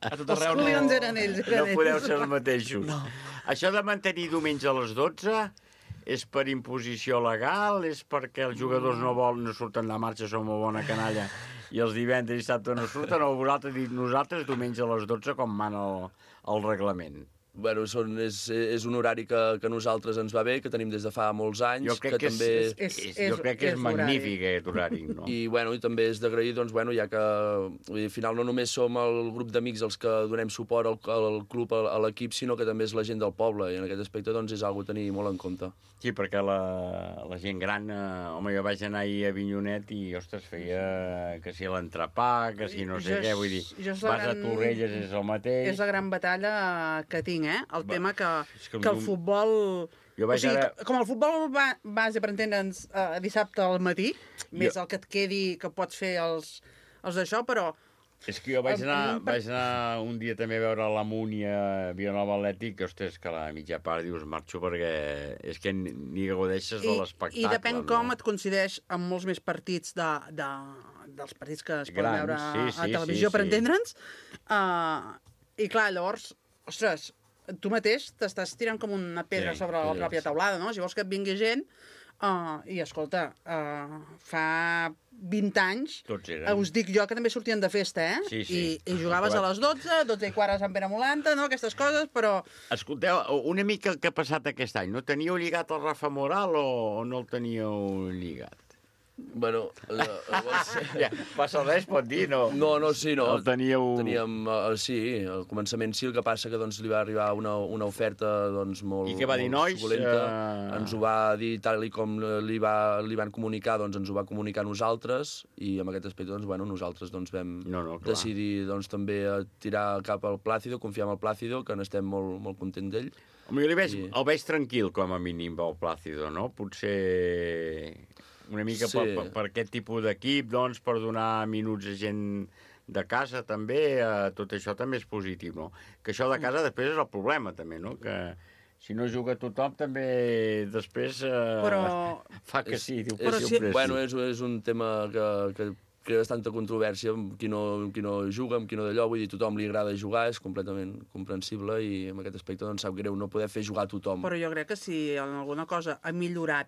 A tot Els arreu no... hooligans eren ells, eren No ells. podeu ser els mateixos. No. Això de mantenir diumenge a les dotze és per imposició legal? És perquè els jugadors no volen, no surten de marxa, som una bona canalla, i els divendres i dissabte no surten? O vosaltres dit nosaltres diumenge a les dotze com mana el, el reglament? Bueno, són, és, és un horari que, que a nosaltres ens va bé, que tenim des de fa molts anys. Jo crec que, que també... és, és, és, jo crec que és, és magnífic aquest horari, no? I, bueno, i també és d'agrair, doncs, bueno, ja que vull dir, al final no només som el grup d'amics els que donem suport al, al club, a, a l'equip, sinó que també és la gent del poble, i en aquest aspecte doncs, és algo a tenir molt en compte. Sí, perquè la, la gent gran, eh, home, jo vaig anar ahir a Vinyonet i, ostres, feia que si l'entrepà, que si no sé Jo què, és- vull dir, jo és vas la gran- a Torrelles, és el mateix. És la gran batalla que tinc, eh? El Va, tema que, és que que el el- futbol... Jo vaig o sigui, ara- que- com el futbol va, base, per entendre'ns, eh, dissabte al matí, més el que et quedi que pots fer els, els d'això, però... És que jo vaig Amb- anar, amb un par- vaig anar un dia també a veure la Múnia Vilanova Atlètic, que, ostres, que a la mitja part dius marxo perquè és que ni, ni gaudeixes de l'espectacle. I depèn no? com et coincideix amb molts més partits de, de, dels partits que es poden Grans, veure sí, a sí, televisió, sí, per sí. entendre'ns. Uh, I clar, llavors, ostres, tu mateix t'estàs tirant com una pedra Sí, sobre la sí, pròpia sí. teulada, no? Si vols que et vingui gent, uh, i escolta, uh, fa vint anys, Tots eren. uh, us dic jo que també sortien de festa, eh? Sí, sí. I, I jugaves a les dotze, dotze i quart a Sant Pere Molanta, no? Aquestes coses, però... Escolteu, una mica el que ha passat aquest any. No teníeu lligat el Rafa Moral o, o no el teníeu lligat? Bueno, eh, llavors... ja, passa res, pot dir, no? No, no, sí, no. El teníeu... Teníem, uh, sí, al començament sí, el que passa que doncs, li va arribar una, una oferta doncs, molt, I què va dir, molt nois? suculenta. Eh, Ens ho va dir tal i com li, va, li van comunicar, doncs ens ho va comunicar a nosaltres, i en aquest aspecte doncs, bueno, nosaltres doncs, vam no, no, clar. decidir doncs, també a tirar cap al Plàcido, confiar en el Plàcido, que n'estem molt, molt contents d'ell. Home, jo li veig, I- el veig tranquil, com a mínim, el Plàcido, no? Potser una mica Sí. per, per, per aquest tipus d'equip, doncs, per donar minuts a gent de casa, també, eh, tot això també és positiu, no? Que això de casa després és el problema, també, no? Que si no juga tothom, també després eh, Però- fa que sí, diu que és, sí, sempre bueno, sí. és, és un tema que, que crea bastanta controvèrsia amb qui no, amb qui no juga, amb qui no d'allò, vull dir, tothom li agrada jugar, és completament comprensible i en aquest aspecte doncs sap greu no poder fer jugar a tothom. Però jo crec que si en alguna cosa ha millorat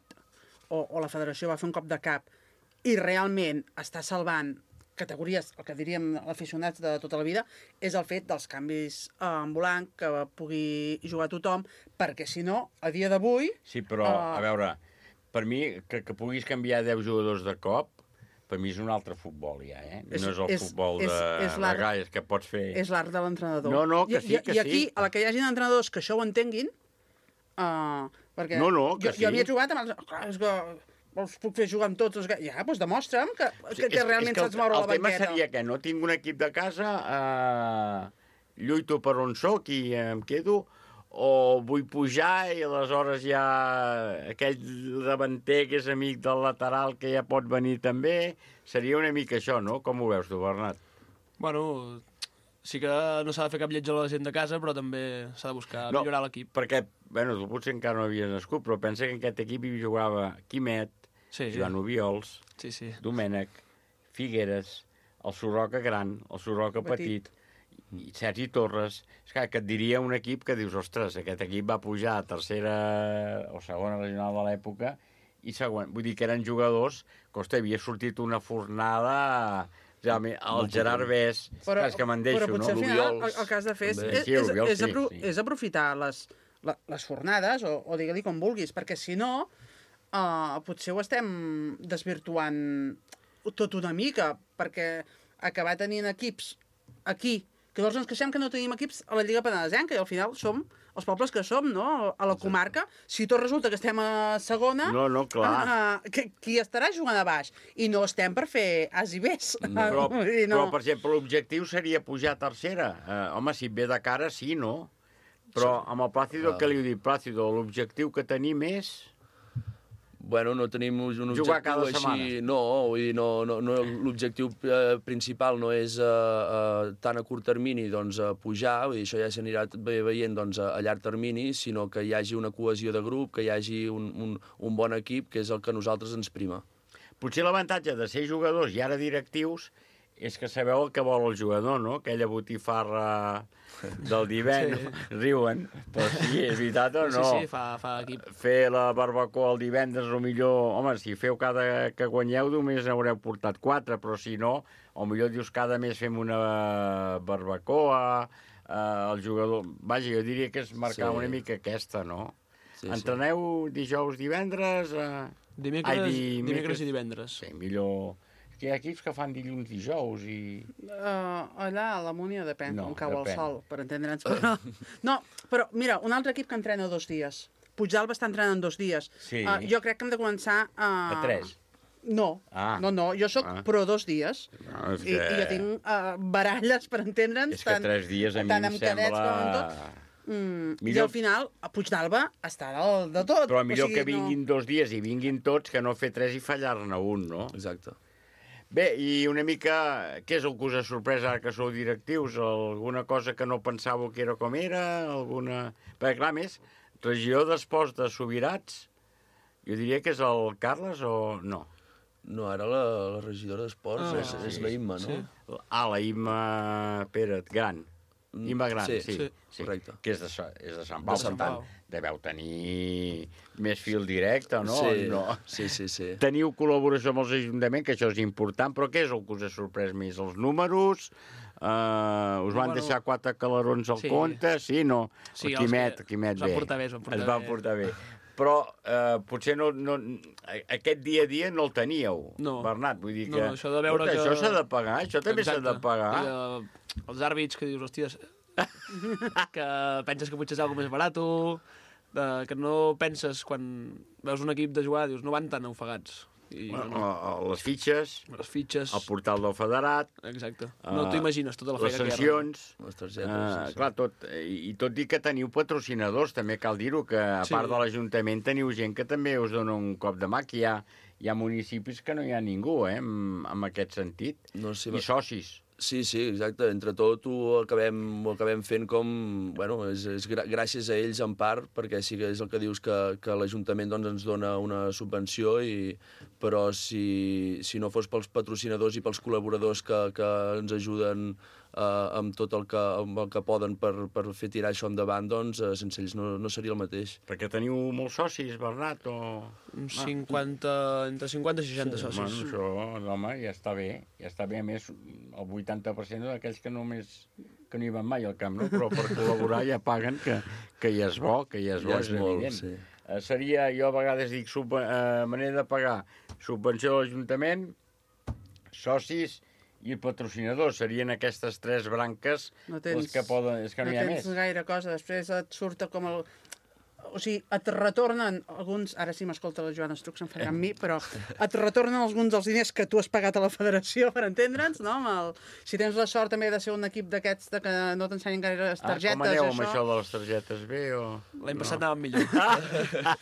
o, o la federació va fer un cop de cap i realment està salvant categories, el que diríem aficionats de tota la vida, és el fet dels canvis eh, ambulant, que pugui jugar tothom, perquè si no, a dia d'avui... Sí, però, eh, a veure, per mi, que, que puguis canviar deu jugadors de cop, per mi és un altre futbol, ja, eh? És- no és el és- futbol de és- és l'art- regalles que pots fer... És l'art de l'entrenador. No, no, que I, sí, i, que I aquí, sí. a la que hi hagin entrenadors que això ho entenguin, uh, perquè No, no, que jo, sí. jo havia jugat amb els... Clar, és que els puc fer jugar amb tots els... ga- Ja, doncs demostra'm que, que, que realment el- saps moure la El tema banqueta. seria que no tinc un equip de casa, eh, lluito per on soc i em quedo, o vull pujar i aleshores ja aquell davanter que és amic del lateral que ja pot venir també, seria una mica això, no? Com ho veus tu, Bernat? Bueno, sí que no s'ha de fer cap lleig a la gent de casa, però també s'ha de buscar no, millorar l'equip. Perquè, bueno, tu potser encara no havies nascut, però pensa que en aquest equip hi jugava Quimet, sí. Joan Obiols, sí, sí. Domènec, Figueres, el Sorroca gran, el Sorroca petit, Petit. i Sergi Torres. És clar, que et diria un equip que dius, ostres, aquest equip va pujar a tercera o segona regional de l'època i següent. Vull dir que eren jugadors que, ostres, havia sortit una fornada... Realment, el Molt Gerard potent. Bès, Però, és que me'n deixo, però potser no? al final el, el que has de fer és, també. és, Sí, és, Oriols és, sí, apro sí. és aprofitar les, la, les fornades, o, o digue-li com vulguis, perquè si no, uh, potser ho estem desvirtuant tot una mica, perquè acabar tenint equips aquí, que llavors ens queixem que no tenim equips a la Lliga Penedesenca, i al final som els pobles que som, no?, a la comarca. Si tot resulta que estem a segona, No, no, clar. uh, que, qui estarà jugant a baix? I no estem per fer as i bés. No, però, Vull dir, no. però, per exemple, l'objectiu seria pujar a tercera. Eh, home, si et ve de cara, sí, no? Però amb el Plàcido, Ah. què li diu? Plàcido, l'objectiu que tenim és... Bueno, no tenim un objectiu Jugar cada així... setmana. No, vull dir, no, no, no, l'objectiu eh, principal no és eh, eh, tant a curt termini doncs, a pujar, vull dir, això ja s'anirà ve- veient doncs, a, a llarg termini, sinó que hi hagi una cohesió de grup, que hi hagi un, un, un bon equip, que és el que a nosaltres ens prima. Potser l'avantatge de ser jugadors i ara directius és que sabeu el que vol el jugador, no? Aquella botifarra del divendres. Sí. Riuen, però sí, és veritat o no? Sí, sí, fa, fa equip. Fer la barbacoa el divendres, o millor... Home, si feu cada que guanyeu, només haureu portat quatre, però si no, o millor dius cada mes fem una barbacoa, el jugador... Vaja, jo diria que és marcar Sí. una mica aquesta, no? Sí, Entreneu dijous, divendres... Eh... Dimecres, Ai, dimecres i divendres. Sí, millor... És que hi ha equips que fan dilluns, dijous i... Uh, allà a la Múnia depèn, No, on cau depèn. el sol, per entendre'ns. Però, no, però mira, un altre equip que entrena dos dies. Puigdàlber està entrenant dos dies. Sí. Uh, jo crec que hem de començar a... A tres. No, Ah. no, no, jo sóc Ah. pro dos dies. No, és I, que... I jo tinc uh, baralles, per entendre'ns, És que tres dies a mi tant em amb cadets sembla... com amb tot. Mm, I Millor- al final, a Puigdàlber està del, de tot. Però millor o sigui, que vinguin dos dies i vinguin tots que no fer tres i fallar-ne un, no? Exacte. Bé, i una mica, què és el que us ha sorprès ara que sou directius? Alguna cosa que no pensàveu que era com era? Alguna... Perquè, clar, a més, regió d'esports de Subirats, jo diria que és el Carles o no? No, ara la, la regidora d'esports Ah, és, sí. és la Imma, no? Sí. Ah, la Imma Pérez, gran. Imma Gran, sí, sí, sí, sí, correcte. que és de, Sa- és de Sant Pau. De Sant per tant, Pau. Deveu tenir més fil directe, no? Sí, no? sí, sí, sí. Teniu col·laboració amb els ajuntaments, que això és important, però què és el que us ha sorprès més? Els números? Uh, us van Bueno, deixar quatre calarons al sí. compte? Sí, no? Sí, el els Quimet, que- Quimet es van bé. portar bé, es van portar es van bé. portar bé. Però eh, potser no, no, aquest dia a dia no el teníeu, No. Bernat. Vull dir No, que, no, això de veure escolta, que- això s'ha de pagar, això també s'ha de Exacte. pagar. I, uh, els àrbits que dius, hòsties, que penses que potser és alguna més barat, de, que no penses quan veus un equip de jugar, dius, no van tan ofegats. I, Bueno, no, no. a- a les fitxes, les fitxes, el portal del federat, exacte. No t'ho imagines, tota la les feina que hi ha. sancions, les targetes, uh, sí, sí. clar, tot, i, i tot i que teniu patrocinadors, també cal dir-ho, que a Sí. part de l'Ajuntament teniu gent que també us dona un cop de mà, que hi ha, hi ha municipis que no hi ha ningú, eh, en, en aquest sentit, No, sí, i socis. Sí, sí, exacte. Entre tot ho acabem, ho acabem fent com... Bueno, és, és gra gràcies a ells en part, perquè sí que és el que dius que, que l'Ajuntament doncs, ens dona una subvenció, i, però si, si no fos pels patrocinadors i pels col·laboradors que, que ens ajuden eh, amb tot el que, amb el que poden per, per fer tirar això endavant, doncs eh, sense ells no, no seria el mateix. Perquè teniu molts socis, Bernat, o... Uns cinquanta, entre cinquanta i seixanta Sí, socis. bueno, això, home, ja està bé. Ja està bé, a més, el vuitanta per cent d'aquells que només que no hi van mai al camp, no? Però per col·laborar ja paguen, que, que ja és bo, que ja és bo, Ja és és molt, evident. sí. Eh, seria, jo a vegades dic, sub, eh, manera de pagar subvenció de l'Ajuntament, socis i patrocinadors. Serien aquestes tres branques No tens, les que poden... És que no, no hi ha tens més. gaire cosa. Després et surt com el... O sigui, et retornen alguns... Ara sí m'escolta la Joana Estruc, se'n farà amb mi, però et retornen alguns dels diners que tu has pagat a la federació, per entendre'ns, no? Amb el... Si tens la sort també de ser un equip d'aquests de que no t'ensenyen gaire les targetes, ah, com aneu això... amb això de les targetes? Bé o... L'any no? passat anàvem millor.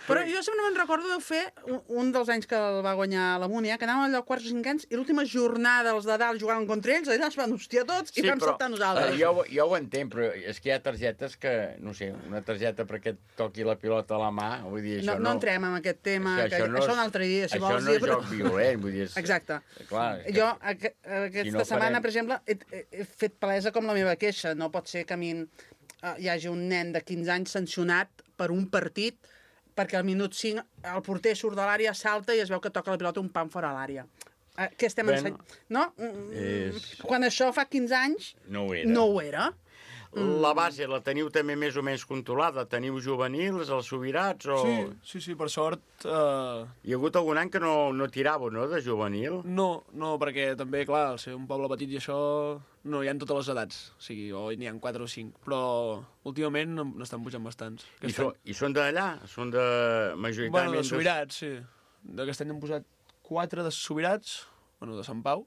Però jo sempre me'n recordo de fer un, un dels anys que el va guanyar la Múnia, que anàvem allò quarts o cinquens, i l'última jornada els de dalt jugaven contra ells, allà es van hostiar tots i vam saltar nosaltres. Eh, jo, ho- jo ho entenc, però és que hi ha targetes que, no sé, una targeta perquè et toqui la pilota a la mà, vull dir, això No, no... no entrem en aquest tema, És que, que això no això és- un altre dia, si això vols no és dir. joc violent, vull dir, és- Exacte. Clar, és que- Jo, aqu aquesta Si no setmana, farem- per exemple, he, he, he fet palesa com la meva queixa. No pot ser que a mi uh, hi hagi un nen de quinze anys sancionat per un partit perquè al minut cinc el porter surt de l'àrea, salta i es veu que toca la pilota un pam fora l'àrea. Uh, què estem Bueno, ensenyant? No? Mm, és- Quan això fa quinze anys, No ho era. no ho era. La base la teniu també més o menys controlada? Teniu juvenils, els subirats o... Sí, sí, sí, per sort... Uh... Hi ha hagut algun any que no, no tiràveu, no?, de juvenil? No, no, perquè també, clar, al ser un poble petit i això no hi ha totes les edats, o sigui, o n'hi ha quatre o cinc, però últimament n'estan pujant bastants. I, so, I són d'allà? Són de majoritàriament... Bueno, de Subirats, sí. D'aquest any han posat quatre de Subirats, bueno, de Sant Pau,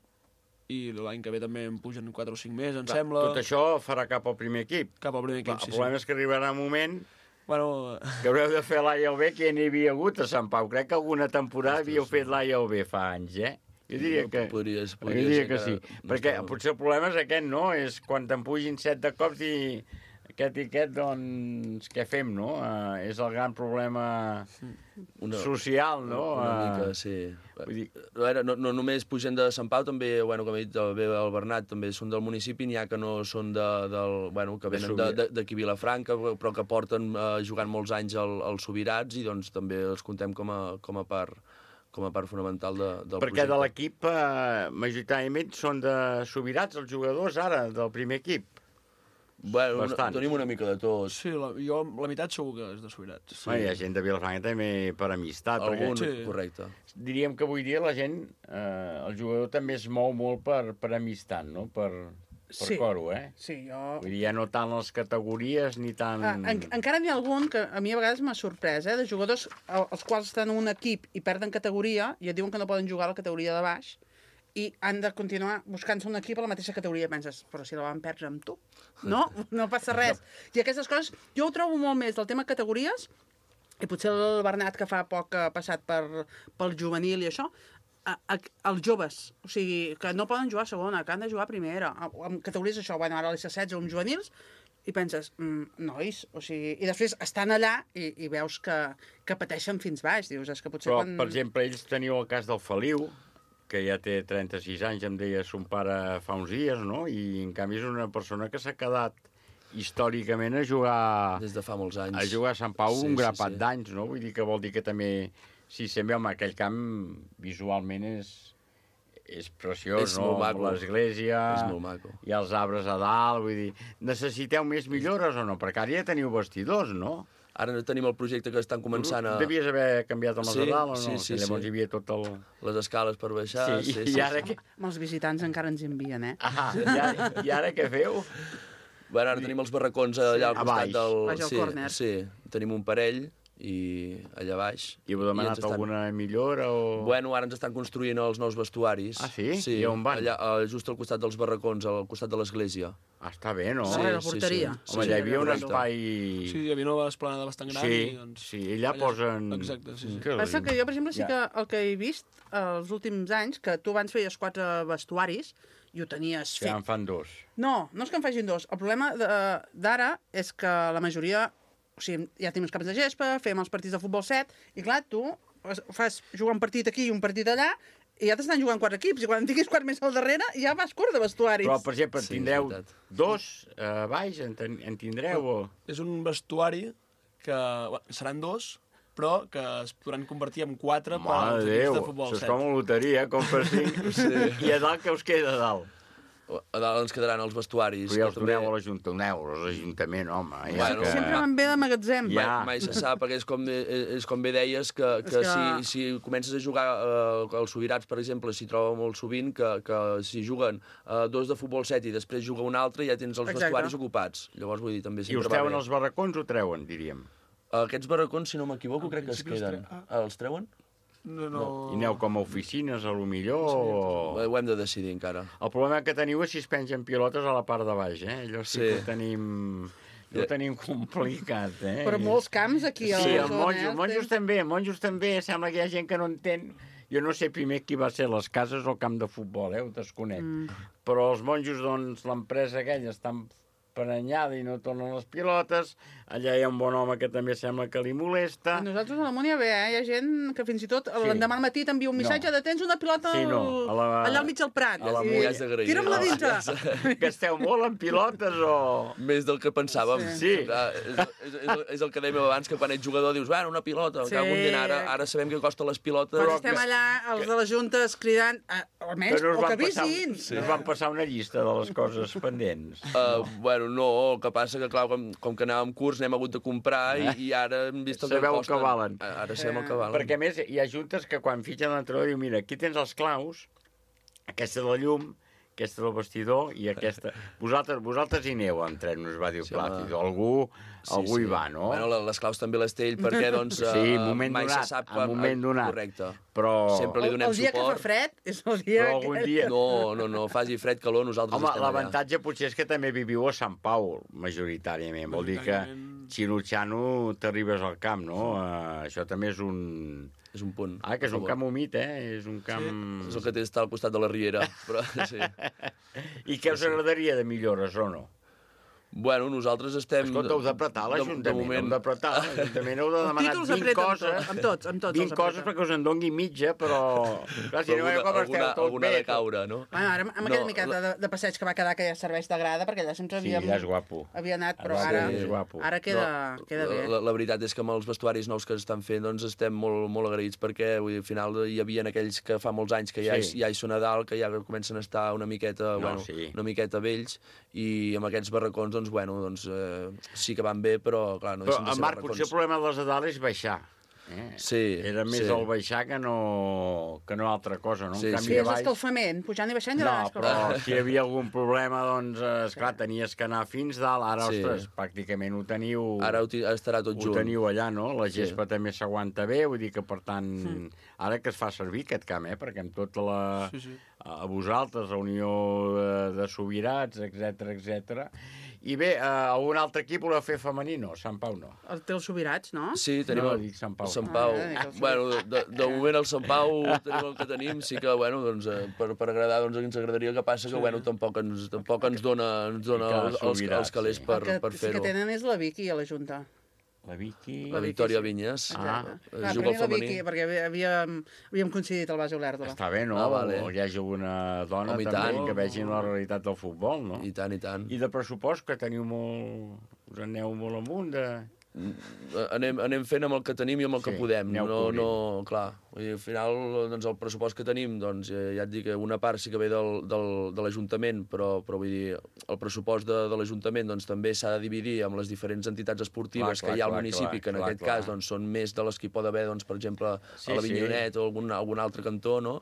i l'any que ve també en pugen quatre o cinc més, em Clar, sembla. Tot això farà cap al primer equip. Cap al primer equip, Clar, sí, el problema és que arribarà un moment bueno... que haureu de fer l'A i el B, que ja n'hi havia hagut a Sant Pau. Crec que alguna temporada havíeu fet l'A i el B fa anys, eh? Jo diria que, Podries, jo podria diria ser que que sí. no Perquè estava- potser el problema és aquest, no? És quan te'n pugin set de cops i aquest i aquest, doncs, què fem, no? Uh, és el gran problema Una, social, no? Una Uh, mica, sí. Vull dir... A veure, no, no només pugen de Sant Pau, també, bueno, com he dit, el, el Bernat, també són del municipi, n'hi ha que no són de, del, bueno, que De venen Subir. de- de- d'aquí a Vilafranca, però que porten eh, jugant molts anys al, als Subirats, i doncs també els contem com a, com a part com a part fonamental de, del Perquè projecte. de l'equip, eh, majoritàriament, són de subirats els jugadors ara, del primer equip. Bueno, Bastant. tenim una mica de tot. Sí, la, jo la meitat segur que és de Subirats. Sí. Bueno, hi ha gent de Vilafranca també per amistat. Algun, perquè, sí. Correcte. Diríem que avui dia la gent, eh, el jugador també es mou molt per, per amistat, no? Per, per Sí. coro, eh? Sí, jo... Vull dir, ja no tant les categories ni tant... Ah, en, encara n'hi ha algun que a mi a vegades m'ha sorprès, eh, de jugadors el- els quals estan en un equip i perden categoria i et diuen que no poden jugar a la categoria de baix i han de continuar buscant-se un equip a la mateixa categoria. Penses, però si la van perdre amb tu. No, no passa res. I aquestes coses, jo ho trobo molt més del tema categories, i potser el Bernat, que fa poc ha passat per, pel juvenil i això, a, a, els joves, o sigui, que no poden jugar a segona, que han de jugar a primera, amb categories això, bueno, ara a l'S setze, amb juvenils, i penses, mm, nois, o sigui, i després estan allà i, i veus que, que pateixen fins baix, dius, és que potser Però, quan... per exemple, ells teniu el cas del Feliu, que ja té trenta-sis anys, em deia son pare fa uns dies, no? I en canvi és una persona que s'ha quedat històricament a jugar... Des de fa molts anys. A jugar a Sant Pau Sí, un sí, grapat sí. d'anys, no? Vull dir que vol dir que també... Si sempre, home, aquell camp visualment és, és preciós, És no? molt maco. L'església... És molt maco. I els arbres a dalt, vull dir... Necessiteu més millores o no? Perquè ara ja teniu vestidors, no? Ara tenim el projecte que estan començant a... Devies haver canviat amb els Sí, de dalt o no? sí, sí, Que llavors sí. hi havia tot el... Les escales per baixar... Sí, sí, i sí, ara sí. que- Amb els visitants encara ens envien, eh? Ah, i ara, i ara què feu? Bueno, ara tenim els barracons allà al A costat baix. del... Baix al sí, córner. sí, tenim un parell i allà baix. I heu demanat ens estan- alguna millora o...? Bueno, ara ens estan construint els nous vestuaris. Ah, sí? Sí, I on van? Allà, eh, just al costat dels barracons, al costat de l'església. Ah, està bé, no? Sí, Ah, la sí, porteria. sí. Home, Sí, ja hi havia un correcte. espai... Sí, hi havia nova esplanada bastant gran Sí, i doncs... sí, i allà posen- Exacte, sí, sí. Que Passa lindo. que jo, per exemple, sí Ja. que el que he vist els últims anys, que tu abans feies quatre vestuaris i ho tenies Que fet. en fan dos. No, no és que en facin dos. El problema de- d'ara és que la majoria... O sigui, ja tenim els camps de gespa, fem els partits de futbol set, i clar, tu fas jugar un partit aquí i un partit allà, i ja t'estan jugant quatre equips, i quan en tinguis quatre més al darrere, ja vas curt de vestuaris. Però, per exemple, Sí, tindreu és veritat. dos a baix, en, ten- en tindreu o...? És un vestuari que bueno, seran dos, però que es podran convertir en quatre per Mare als de equips Déu, de futbol això és set. com a loteria, com per cinc. Sí. I a dalt què us queda a dalt? A dalt ens quedaran els vestuaris. Però ja els que també- doneu a l'Ajuntament, a l'Ajuntament, home. Ja Bueno, que... Sempre me'n ve de magatzem. Ja. Mai, mai se sap, perquè és com, és com bé deies, que, que, És que- si, si comences a jugar eh, els Subirats, per exemple, s'hi troba molt sovint que, que si juguen eh, dos de futbol set i després juga un altre, ja tens els Exacte. vestuaris ocupats. Llavors, vull dir, també I sempre us va treuen bé. els barracons o treuen, diríem? Aquests barracons, si no m'equivoco, crec que es principi els queden. tre- Ah, els treuen? No, no... I aneu com a oficines, a lo millor, o... Ho hem de decidir encara. El problema que teniu és si es pengen pilotes a la part de baix, eh? Allò sí, Sí. que ho tenim... Ho tenim complicat, eh? Però molts camps aquí a Sí, la el zona, monjos, eh? monjos també, monjos també, sembla que hi ha gent que no entén. Jo no sé primer qui va ser les cases o el camp de futbol, eh? Ho desconec. Mm. Però els monjos, doncs, l'empresa aquella està prenyada i no tornen les pilotes. Allà hi ha un bon home que també sembla que li molesta. I nosaltres a la Múnia bé, eh? Hi ha gent que fins i tot Sí. l'endemà al matí t'envia un missatge No. de tens una pilota Sí, no, a la- allà al mig del Prat. a la I Múnia has d'agrair. tira'm-la Ah, dintre. ja Gasteu molt en pilotes o...? Més del que pensàvem. Sí. Clar, és, és, és, és el que dèiem abans, que quan ets jugador dius, bueno, una pilota, Sí. sí. cago en dinar, ara, ara sabem que costa les pilotes. Però estem allà, els de les juntes, cridant, eh, almenys, Que no us o que van passar, avisin. sí. no us van passar una llista de les coses pendents. Uh, bueno, no, el que passa que, clar, com, com que anàvem curts, n'hem hagut de comprar i, i ara hem vist el que Sabeu el costen. que valen. Ara sabem el que valen. Perquè, a més, hi ha juntes que quan fitxen l'entrenador diu, mira, aquí tens els claus, aquesta de la llum, aquesta del vestidor i aquesta... Vosaltres, vosaltres hi aneu a entrenar, us va dir Sí, Plàcid. home. Algú, Sí, algú sí. hi va, no? Bueno, les claus també les té ell perquè, doncs, Sí, eh, en moment mai donat, se sap en moment donat. Correcte. Però... Sempre li El, donem el dia suport. que fa fred és el dia Però algun que... dia- No, no, no, faci fred, calor, nosaltres Home, estem allà. l'avantatge potser és que també viviu a Sant Pau, majoritàriament. Vol dir que xinutxano t'arribes al camp, no? Uh, això també és un... És un punt. Ah, que és a un favor. camp humit, eh? És un camp... Sí, és el que té estar al costat de la riera. Però, sí. I què us agradaria de millores o no? Bueno, nosaltres estem... Escolta, heu d'apretar de- de l'Ajuntament, moment- heu d'apretar l'Ajuntament, heu de Els demanar títols vint apreten coses, tot, amb tots, amb tots vint els coses apreten. perquè us en doni mitja, però... Clar, si Però no veieu com alguna, esteu alguna, tot alguna bé... ha de caure, no? Bueno, ara, amb No, aquella miqueta la- de, de passeig que va quedar que ja serveix de grada, perquè allà sempre Sí, havíem... ja és guapo. Havia anat, però Sí, ara, és guapo. ara queda, No, queda bé. La, la veritat és que amb els vestuaris nous que estan fent doncs estem molt, molt agraïts perquè vull dir, al final hi havia aquells que fa molts anys que ja, Sí. sí. ja hi són a dalt, que ja comencen a estar una miqueta, No, bueno, sí. una miqueta vells i amb aquests barracons, doncs, bueno, doncs, eh, sí que van bé, però, clar, no però, deixen de ser Marc, barracons. potser el problema de les edades és baixar. Eh? Sí, Era més sí. el baixar que no, que no altra cosa, no? Sí, En Sí, canvi, és a baix... escalfament, pujant i baixant i No, no, però si hi havia algun problema, doncs, eh, esclar, tenies que anar fins dalt. Ara, Sí. ostres, pràcticament ho teniu... Ara ho ti- estarà tot ho junt. teniu allà, no? La Sí. gespa també s'aguanta bé, vull dir que, per tant, ara que es fa servir aquest camp, eh? Perquè amb tota la... Sí, sí. a vosaltres, la Unió de, de Sobirats, etcètera, etcètera. I bé, eh, algun altre equip voleu fer femení? No, Sant Pau no. El té els Sobirats, no? Sí, tenim No, el, dic Sant Pau. el Sant Pau. Ah, dic el bueno, de, de moment el Sant Pau tenim el que tenim, sí que, bueno, doncs, eh, per, per agradar, doncs, ens agradaria. El que passa que, bueno, tampoc ens, tampoc ens dona, ens dona I que els, els, Sobirats, els calés sí. per, El que per sí que fer-ho. tenen és la Vicky a la Junta. La Vicky... La Victòria Vinyes. Ah. Clar, juga primer al la femení. Vicky, perquè havíem, havíem coincidit al base Olèrdola. Està bé, no? Ah, vale. O hi hagi alguna dona Home, i també tant. que vegin la realitat del futbol, no? I tant, i tant. I de pressupost, que teniu molt... Us en aneu molt amunt de... Anem, anem fent amb el que tenim i amb el que Sí, podem. aneu No, cobrint. no, clar, vull dir, al final, doncs, el pressupost que tenim, doncs, eh, ja et dic que una part sí que ve del, del, de l'Ajuntament, però, però vull dir, el pressupost de, de l'Ajuntament doncs, també s'ha de dividir amb les diferents entitats esportives Clar, clar, que hi ha al clar, municipi, clar, que en clar, aquest clar. cas doncs, són més de les que hi pot haver, doncs, per exemple, Sí, a la sí. Vinyonet o algun, algun altre cantó, no?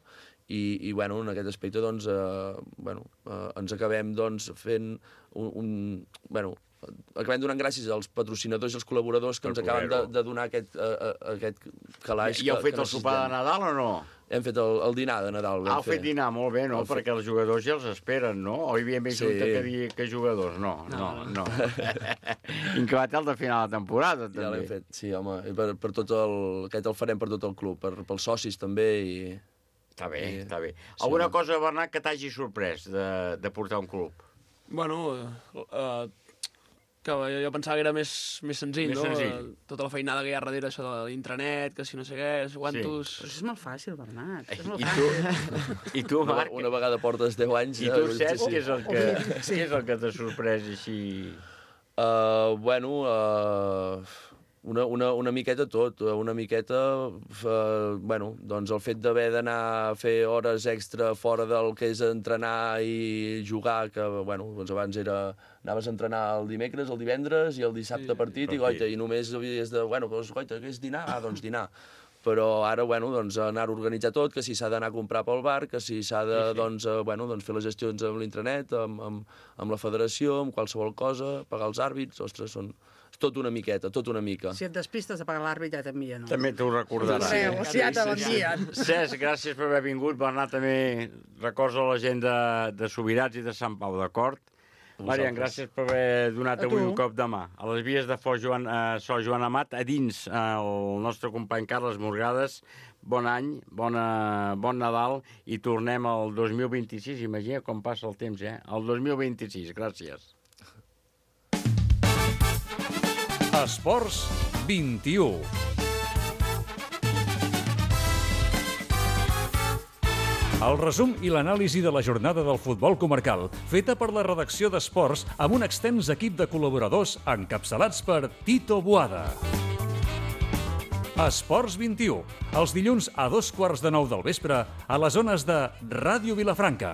I, i bueno, en aquest aspecte doncs, eh, bueno, eh, ens acabem doncs, fent un, un... Bueno, acabem donant gràcies als patrocinadors i als col·laboradors que Per ens acaben de, poder-ho. de donar aquest, uh, aquest calaix. I heu que, fet que el sopar de necessitem. Nadal o no? Hem fet el, el dinar de Nadal. vam Ah, heu fet dinar, molt bé, no? El fe- Perquè els jugadors ja els esperen, no? O hi havia més Sí. junta que, dir, que jugadors? No, no, no. Incabat el de final de temporada, també. Ja l'hem fet, sí, home. I per, per tot el, aquest el farem per tot el club, per, pels socis també. I... Està bé, I- està bé. sí. Alguna cosa, Bernat, que t'hagi sorprès de, de portar un club? Bueno, eh, uh, que jo, jo pensava que era més, més senzill, Més no? senzill. Eh, Tota la feinada que hi ha darrere, això de l'intranet, que si no sé què, no sé quantos... Però això és molt fàcil, Bernat. És molt I fàcil. tu, i tu Una, Marc, una vegada portes deu anys... i ja, tu, sí, Cesc, sí. què és el que, què és el que t'ha sorprès així? Uh, bueno, uh, una, una, una miqueta tot, una miqueta, uh, bueno, doncs el fet d'haver d'anar a fer hores extra fora del que és entrenar i jugar, que, bueno, doncs abans era, anaves a entrenar el dimecres, el divendres i el dissabte Sí, partit, i goita, i només havies de, bueno, doncs, goita, què és dinar? Ah, doncs dinar. Però ara, bueno, doncs, anar a organitzar tot, que si s'ha d'anar a comprar pel bar, que si s'ha de, Sí, sí. doncs, eh, bueno, doncs, fer les gestions amb l'intranet, amb, amb, amb la federació, amb qualsevol cosa, pagar els àrbits, ostres, són... És tot una miqueta, tot una mica. Si et despistes de pagar l'àrbit, ja t'envien. No? També t'ho recordarà. Correu, o sigui, ja te l'envien. Cesc, gràcies per haver vingut. Bernat, també records a la gent de, de Sobirats i de Sant Pau, d'acord? Marian, gràcies per haver donat A avui tu. un cop de mà. A les vies de Fos Joan, eh, So Joan Amat, a dins eh, el nostre company Carles Morgades. Bon any, bona, bon Nadal i tornem al dos mil vint-i-sis. Imagina com passa el temps, eh? El dos mil vint-i-sis. Gràcies. Esports vint-i-u. El resum i l'anàlisi de la jornada del futbol comarcal, feta per la redacció d'Esports amb un extens equip de col·laboradors encapçalats per Tito Boada. Esports vint-i-u, els dilluns a dos quarts de nou del vespre a les zones de Ràdio Vilafranca.